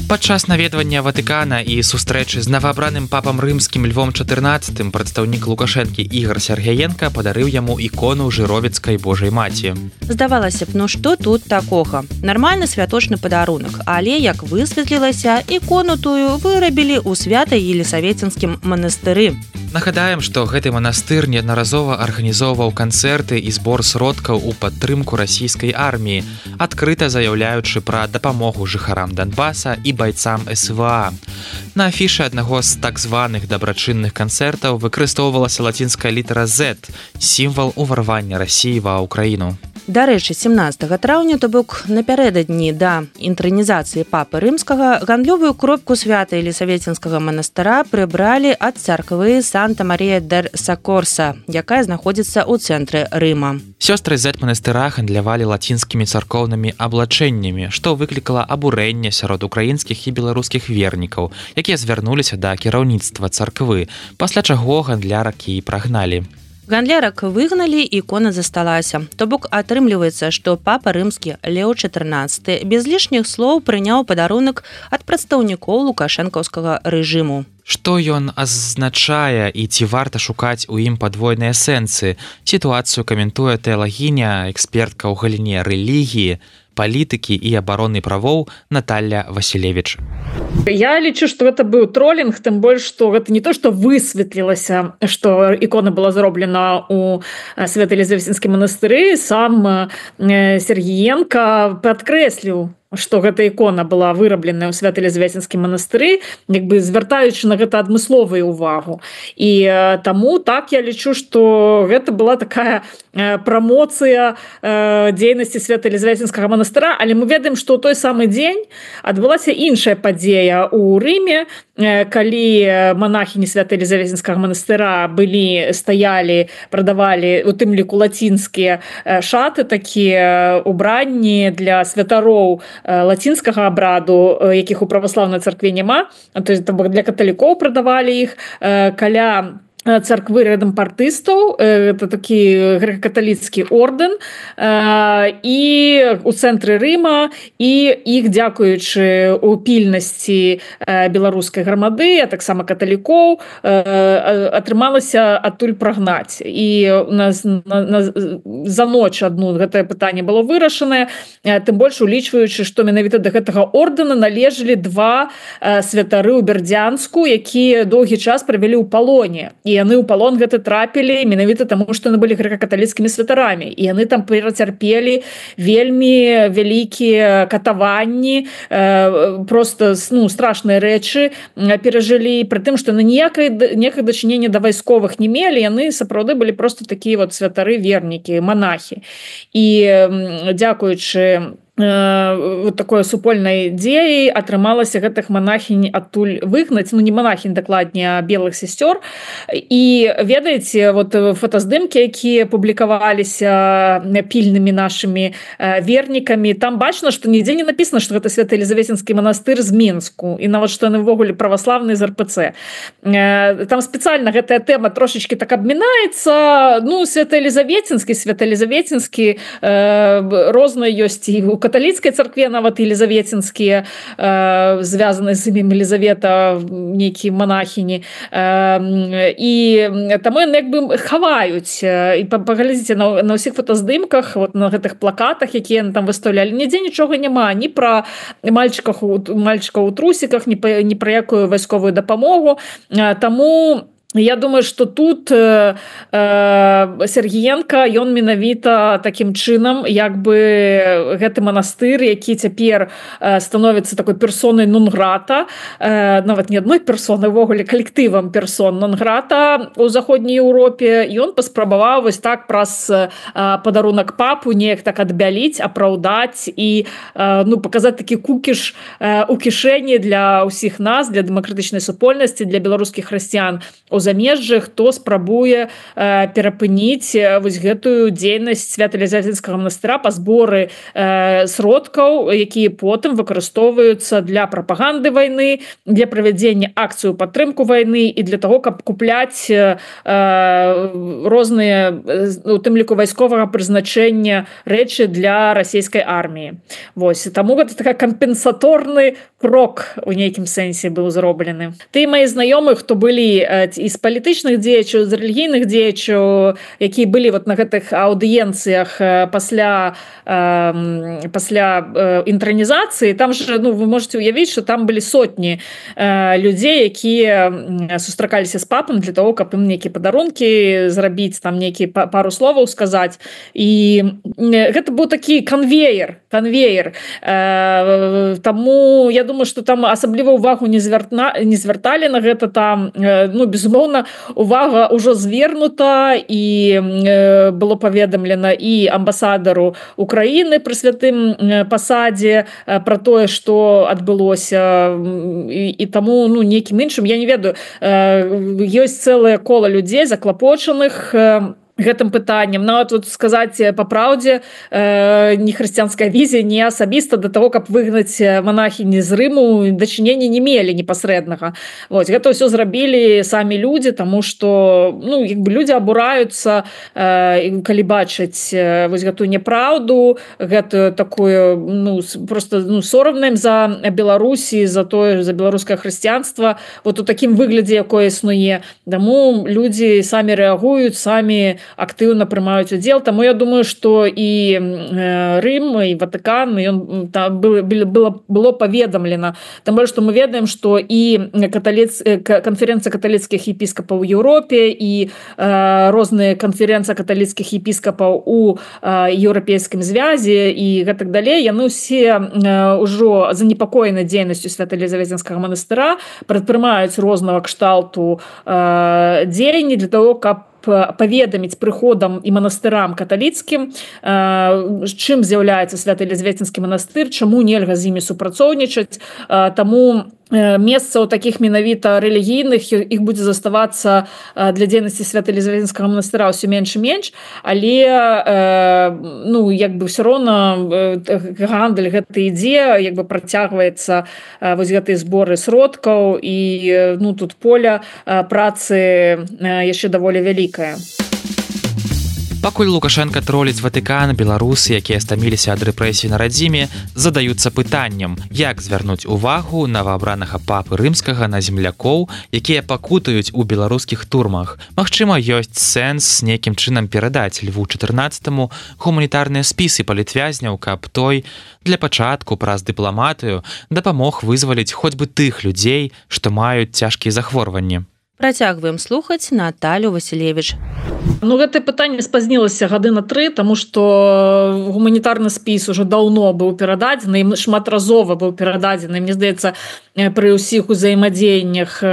[SPEAKER 2] Падчас наведвання Ватыкана і сустрэчы з новаабраным папам рымскім Львом чатырнаццатым прадстаўнік Лукашэнкі Ігар Сергеенка падарыў яму ікону жыровіцкай Божай маці.
[SPEAKER 1] Здавалася б, ну што тут такога? Нармальны святочны падарунак, але, як высветлілася, ікону тую вырабілі ў свята-Елісаветінскім манастыры.
[SPEAKER 2] Нагадаем, што гэты манастыр неаднаразова арганізоўваў канцэрты і збор сродкаў у падтрымку расійскай арміі, адкрыта заяўляючы пра дапамогу жыхарам Донбаса і байцам эс вэ а. На афішы аднаго з так званых дабрачынных канцэртаў выкарыстоўвалася лацінская літара Z, сімвал уварвання Расіі ва ўкраіну.
[SPEAKER 1] Дарэчы, семнаццатага траўня, то бок напярэдадні да інтранізацыі папы рымскага, гандлёвую кропку свята Елісаветінскага манастыра прыбралі ад царквы Санта-Марія-дер-Сакорса, якая знаходзіцца ў цэнтры Рыма.
[SPEAKER 2] Сёстры Z манастыра гандлявалі лацінскімі царкоўнымі аблачэннямі, што выклікала абурэнне сярод украінскіх і беларускіх вернікаў, якія звярнуліся да кіраўніцтва царквы, пасля чаго гандлярак і прагналі.
[SPEAKER 1] Гандлярак выгналі, ікона засталася. То бок атрымліваецца, што папа рымскі Лео чатырнаццаты без лішніх слоў прыняў падарунак ад прадстаўнікоў лукашэнкаўскага рэжыму.
[SPEAKER 2] Што ён азначае і ці варта шукаць у ім падвойныя сэнсы? Сітуацыю каментуе тэалагіня, экспертка ў галіне рэлігіі, палітыкі і абароны правоў Наталья Васілевіч.
[SPEAKER 5] Я лічу, што гэта быў тролінг, тым больш, што гэта не то, што высветлілася, што ікона была зроблена ў Свята-Елізаветінскім манастыры, сам Сергіенка падкрэсліў, што гэта ікона была вырабленая ў Свята-Елізаветінскім манастыры, як бы звяртаючы на гэта адмысловую увагу. І таму так я лічу, што гэта была такая прамоцыя дзейнасці Свята-Елізаветінскага манастыра, але мы ведаем, што ў той самы дзень адбылася іншая падзея ў Рыме, калі монахіні Свята-Елізаветінскага манастыра былі, стаялі, прадавалі у тым ліку лацінскія шаты, такія убранні для святароў лацінскага абраду, якіх у праваслаўнай царкве няма, то есть для каталікоў прадавалі іх каля царквы рэдэмпартыстаў, это такі грэка-каталіцкі ордэн, і у цэнтры Рыма, і іх, дзякуючы у пільнасці беларускай грамады, а таксама каталікоў, атрымалася адтуль прагнаць. І у нас на, на, за ноч адну гэтае пытанне было вырашанае, тым больш улічваючы, што менавіта да гэтага ордэна належалі два святары ў Бердзянску, якія доўгі час правялі ў палоне. І яны ў палон гэта трапілі менавіта таму, што яны былі грэка-каталіцкімі святарамі. І яны там перацярпелі вельмі вялікія катаванні, просто ну, страшныя рэчы перажылі, пры тым, што яны ніякай ніякага дачынення да вайсковых не мелі, яны сапраўды былі просто такія вот святары вернікі, монахі. І дзякуючы вот такой супольнай дзеі атрымалася гэтых монахінь адтуль выгнаць, ну не монахінь, дакладней, а белых сестёр. І ведаеце, вот фотаздымкі, якія публікаваліся пільнымі нашымі вернікамі, там бачна, што нідзе не напісана, што гэта Свята-Елізаветінскі манастыр з Мінску, і нават што яны ўвогуле праваслаўныя з эр пэ цэ. Там спецыяльна гэтая тэма трошечкі так абмінаецца, ну Свята-Елізаветінскі, Свята-Елізаветінскі розныя ёсць і у каталіцкай царкве нават елізаветінскія, э, звязаныя з імем Елізавета, нейкія монахіні. Э, і таму яны як бы хаваюць. І паглядзіце на, на ўсіх фотаздымках, вот на гэтых плакатах, якія яны там выстаўлялі, нідзе нічога няма, ні пра мальчыках, мальчыкаў у трусіках, ні, ні пра якую вайсковую дапамогу. Э, таму я думаю, што тут э, э, Сергіенка, ён менавіта такім чынам, як бы гэты манастыр, які цяпер э, становіцца такой персонай нон-грата, э, нават не адной персонай, увогуле калектывам персон нон-грата ў заходняй Еўропе, ён паспрабаваў вось так праз э, падарунак папу неяк так адбяліць, апраўдаць і э, ну, паказаць такі кукіш э, у кішэні для ўсіх нас, для дэмакратычнай супольнасці, для беларускіх хрысціян у замежжы, хто спрабуе э, перапыніць вось гэтую дзейнасць Свята-Елізаветінскага манастыра па зборы э, сродкаў, якія потым выкарыстоўваюцца для прапаганды вайны, для правядзення акцыю падтрымку вайны і для того, каб купляць э, розныя, у тым ліку вайсковага прызначэння рэчы для расійскай арміі. Вось, таму гэта такая кампенсаторны крок у нейкім сэнсе быў зроблены. Ты мои знаёмых, хто былі з палітычных дзеячаў, з рэлігійных дзеячаў, якія былі вот на гэтых аўдыенцыях пасля э, пасля э, інтранізацыі, там же, ну, вы можете уявіць, что там былі сотні э, людзей, якія сустракаліся з папам для того, каб ім нейкія падарункі зрабіць, там нейкія пару словаў сказаць. І гэта быў такі канвеер, канвеер. Э, таму я думаю, что там асабліва ўвагу не звяртна, не звярталі на гэта. Там, ну, безумоўна, увага ўжо звернута і э, было паведамлена і амбасадару Украіны пры святым пасадзе э, пра тое, што адбылося, і, і таму, ну, нейкім іншым, я не ведаю, э, ёсць цэлае кола людзей заклапочаных э, гэтым пытаннем. Нават вот сказаць па праўдзе, э, не хрысціянская візія, не асабіста да таго, каб выгнаць манахіні з Рыму, дачынення не мелі непасрэднага. Вот, гэта ўсё зрабілі самі людзі, таму што, ну, як бы людзі абураюцца, э, калі бачаць э, вось гэтую няпраўду, гэтую такую, ну, просто, ну, сорамна ім за Беларусі, за тое, за беларускае хрысціянства, вот у такім выглядзе, якое існуе. Таму людзі самі рэагуюць, самі актыўна прымаюць удзел. Таму я думаю, што і Рым, і Ватыкан, ён там было, было, было паведамлена. Там больш, што мы ведаем, што і каталіц... канферэнцыя каталіцкіх епіскапаў у Еўропе, і э, розныя канферэнцыі каталіцкіх епіскапаў у э, еўрапейскім звязе і гэтак далей, яны ўсе э, ўжо занепакоены дзейнасцю Свята-Елізаветинскага манастыра, прадпрымаюць рознага кшталту э, дзеянні для того, каб паведаміць прыходам і манастырам каталіцкім, чым з'яўляецца Свята-Елізаветинскі манастыр, чаму нельга з імі супрацоўнічаць. Таму месца ў такіх менавіта рэлігійных іх будзе заставацца для дзейнасці Свята-Елізаветинскага манастыра ўсё менш і менш, але ну, як бы ўсё роўна гандаль гэты ідзе, як бы працягваецца вось гэтыя зборы сродкаў, і ну, тут поля працы яшчэ даволі вялікае.
[SPEAKER 2] Пакуль Лукашенко троліць Ватыкан, беларусы, якія стаміліся ад рэпрэсій на радзіме, задаюцца пытаннем, як звярнуць увагу новаабранага папы рымскага на землякоў, якія пакутаюць у беларускіх турмах. Магчыма, ёсць сэнс нейкім чынам перадаць Льву чатырнаццатаму гуманітарныя спісы палітвязняў, каб той для пачатку праз дыпламатыю дапамог вызваліць хоць бы тых людзей, што маюць цяжкія захворванні.
[SPEAKER 1] Працягваем слухаць Наталю Васілевіч.
[SPEAKER 5] Ну, гэтае пытанне спазнілася гады на тры, таму што гуманітарны спіс уже даўно быў перададзены, шматразова быў перададзены. Мне здаецца, пры ўсіх узаемадзеяннях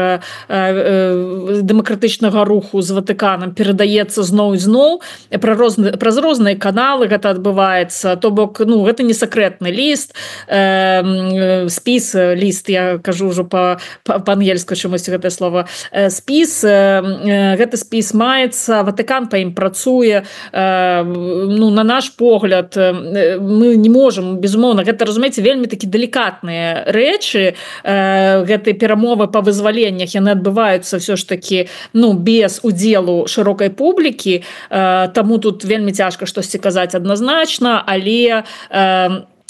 [SPEAKER 5] дэмакратычнага руху з Ватыканам перадаецца зноў і зноў. Праз розныя каналы гэта адбываецца. То бок, ну, гэта не сакрэтны ліст, спіс, ліст, я кажу ўжо па-ангельску чамусь гэтае слова, спіс, гэты спіс маецца, Ватыкан па ім працуе. Ну, на наш погляд, мы не можам, безумоўна, гэта, разумееце, вельмі такі далікатныя рэчы, гэтыя перамовы па вызваленнях, яны адбываюцца ўсё ж такі, ну, без удзелу шырокай публікі, таму тут вельмі цяжка штосьці казаць адназначна, але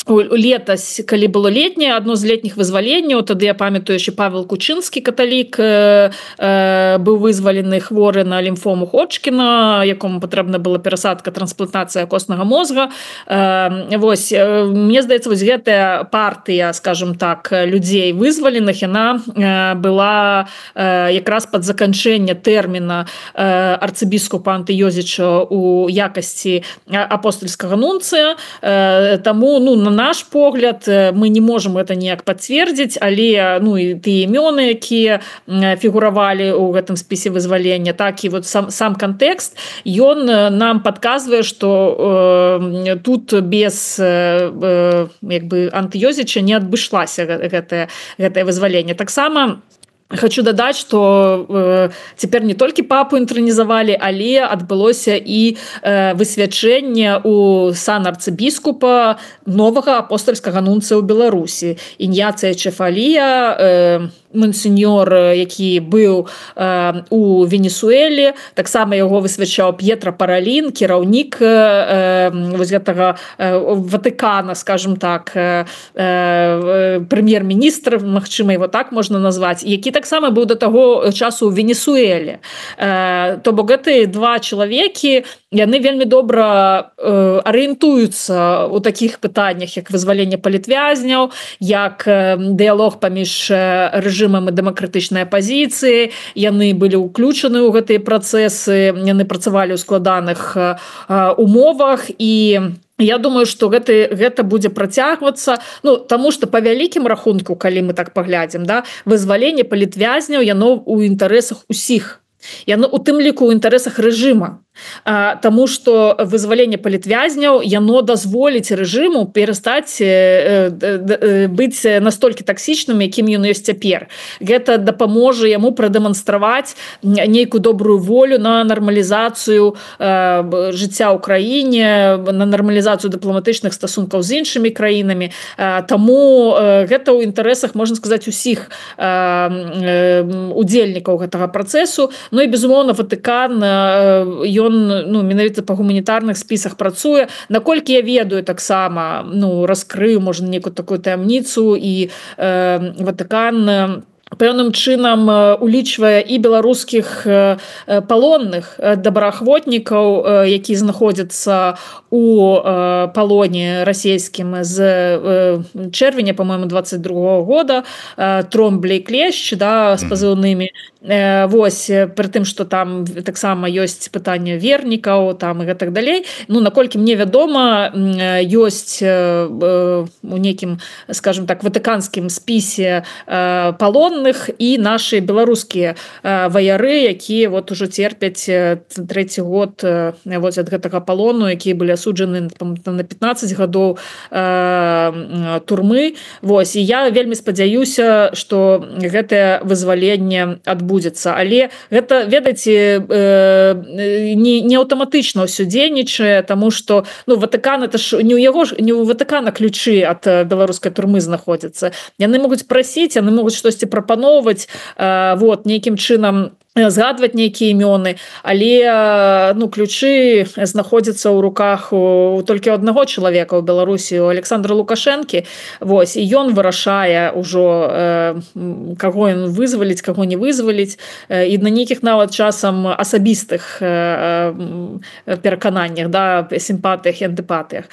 [SPEAKER 5] летась, калі было летняе, адно з летніх вызваленняў, тады я памятаю, що Павел Кучынскі, каталік, э, э, быў вызвалены хворы на лімфому Ходжкіна, якому патрэбна была перасадка, трансплантацыя коснага мозга. Э, вось, э, мне здаецца, вось гэтая партыя, скажем так, людзей вызваленых, яна э, была э, якраз пад заканчэнне тэрміна э, арцыбіскупа Антыёзіча у якасці апостольскага нунцыя. Э, таму, ну, на наш погляд, мы не можем это ніяк пацвердзіць, але, ну, і тыя імёны, якія фігуравалі ў гэтым спісе вызвалення, так і вот сам, сам кантэкст, ён нам падказвае, што э, тут без э, як бы Антыёзіча не адбышлася гэтае, гэтае вызваленне. Таксама хочу дадаць, што э, цяпер не толькі папу інтранізавалі, але адбылося і э, высвячэнне ў сан арцыбіскупа новага апостальскага нунцыя ў Беларусі. Іньяцыя Чефалія, э, мансеньор, які быў у Венесуэле, таксама яго высвячаў П'етра Паралін, кіраўнік вось гэтага Ватыкана, скажем так, прэм'ер-міністр, магчыма, его так можна назваць, які таксама быў да таго часу ў Венесуэле. То бок гэтыя два чалавекі, яны вельмі добра арыентуюцца ў такіх пытаннях, як вызваленне палітвязняў, як дыялог паміж рэжымам і дэмакратычнай апазіцыі. Яны былі ўключаны ў гэтыя працэсы, яны працавалі ў складаных умовах, і я думаю, што гэта, гэта будзе працягвацца, ну, таму што па вялікім рахунку, калі мы так паглядзім, да, вызваленне палітвязняў, яно ў інтарэсах усіх. Яно у тым ліку ў інтарэсах рэжыма. Таму што вызваленне палітвязняў, яно дазволіць рэжыму перастаць быць настолькі таксічным, якім ён ёсць цяпер. Гэта дапаможа яму прадэманстраваць нейкую добрую волю на нармалізацыю жыцця ў краіне, на нармалізацыю дыпламатычных стасункаў з іншымі краінамі. Таму гэта ў інтарэсах, можна сказаць, усіх удзельнікаў гэтага працэсу. Ну і, безумоўна, Ватыкан, ён ну, менавіта па гуманітарных спісах працуе. Наколькі я ведаю, таксама ну, раскрыю, можна, некую такую таямніцу, і э, Ватыкан пэўным чынам улічвае і беларускіх палонных добраахвотнікаў, які знаходзяцца у палоне расійскім з чэрвеня, по-моему, двадцать другого года, Тромбле і Клещ, да, з пазыўнымі. Вось, пры тым, што там таксама ёсць пытанне вернікаў, там і гэтак далей. Ну, наколькі мне вядома, ёсць у нейкім, скажем так, ватыканскім спісе палонных і нашы беларускія ваяры, якія вот ужо церпяць трэці год вот, ад гэтага палону, якія былі асуджаны на пятнаццаць гадоў турмы. Вось, і я вельмі спадзяюся, што гэтае вызваленне адбудзецца. Але гэта, ведаеце, не, не аўтаматычна ўсё дзейнічае, таму што ну, Ватыкан, это ж не ў яго ж, не ў Ватыкана ключы ад беларускай турмы знаходзяцца. Яны могуць прасіць, яны могуць штосьці прапаноўваць, вот, нейкім чынам згадваць нейкія імёны, але ну, ключы знаходзяцца ў руках у толькі аднаго чалавека ў Беларусі, у Александра Лукашэнкі. Вось, і ён вырашае ўжо, э, каго ён вызваліць, каго не вызваліць, і на нейкіх нават часам асабістых э, перакананнях, да, сімпатыях і антыпатыях.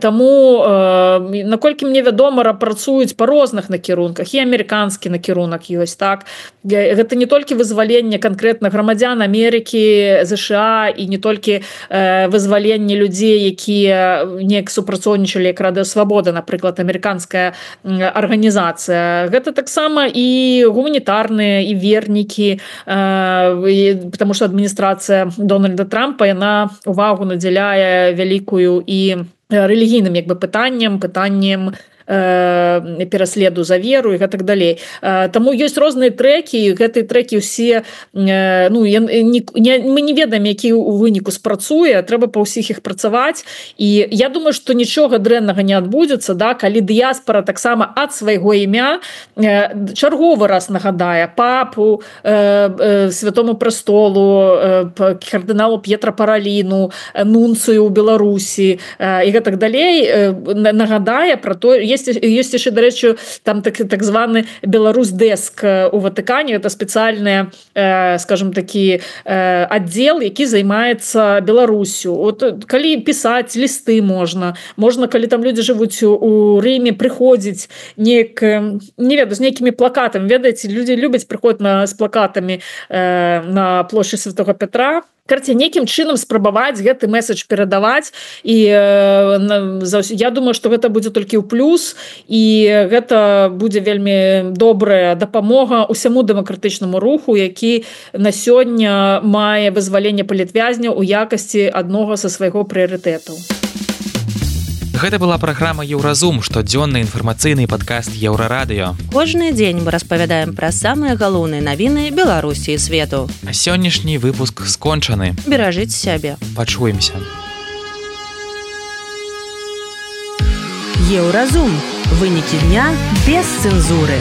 [SPEAKER 5] Таму, э, наколькі мне вядома, працуюць па розных накірунках, і амерыканскі накірунак ёсць, так? Гэта не толькі вызваленне канкрэтна грамадзян Амерыкі, ЗША, і не толькі э, вызваленне людзей, якія неяк супрацоўнічалі, як Радыё Свабода, напрыклад, амерыканская арганізацыя. Гэта таксама і гуманітарныя, і вернікі, э, і, потому што адміністрацыя Дональда Трампа, яна увагу надзяляе вялікую і рэлігійным як бы пытанням, пытаннем пераследу за веру і гэтак далей. Таму ёсць розныя трэкі, гэтыя трэкі ўсе, ну, не, не, мы не ведаем, які ў выніку спрацуе, трэба па ўсіх іх працаваць, і я думаю, што нічога дрэннага не адбудзецца, да, калі дыяспара таксама ад свайго імя чарговы раз нагадае папу, Святому Престолу, кардыналу П'етра Параліну, нунцыю ў Беларусі і гэтак далей, нагадае пра то, ёсць яшчэ, дарэчы, там так, так званы Беларусь-дэск у Ватыкане, это спецыяльны, э, скажем такі, э, аддзел, які займаецца Беларусю. От, калі пісаць лісты можна, можна, калі там людзі жывуць у Рыме, прыходзіць неяк, не ведаю, з нейкімі плакатамі, ведаеце, людзі любяць прыходзіць на, з плакатамі э, на плошчы Святога Петра. Карці, нейкім чынам спрабаваць гэты месседж перадаваць, і э, я думаю, што гэта будзе толькі ў плюс, і гэта будзе вельмі добрая дапамога усяму дэмакратычнаму руху, які на сёння мае вызваленне палітвязняў у якасці аднога са свайго прыярытэтаў.
[SPEAKER 2] Гэта была праграма «Еўразум», штодзённы інфармацыйны падкаст Еўрарадыё.
[SPEAKER 1] Кожны дзень мы распавядаем пра самыя галоўныя навіны Беларусі і свету.
[SPEAKER 2] А сённяшні выпуск скончаны.
[SPEAKER 1] Беражыце сябе.
[SPEAKER 2] Пачуемся.
[SPEAKER 6] Еўразум. Вынікі дня без цэнзуры.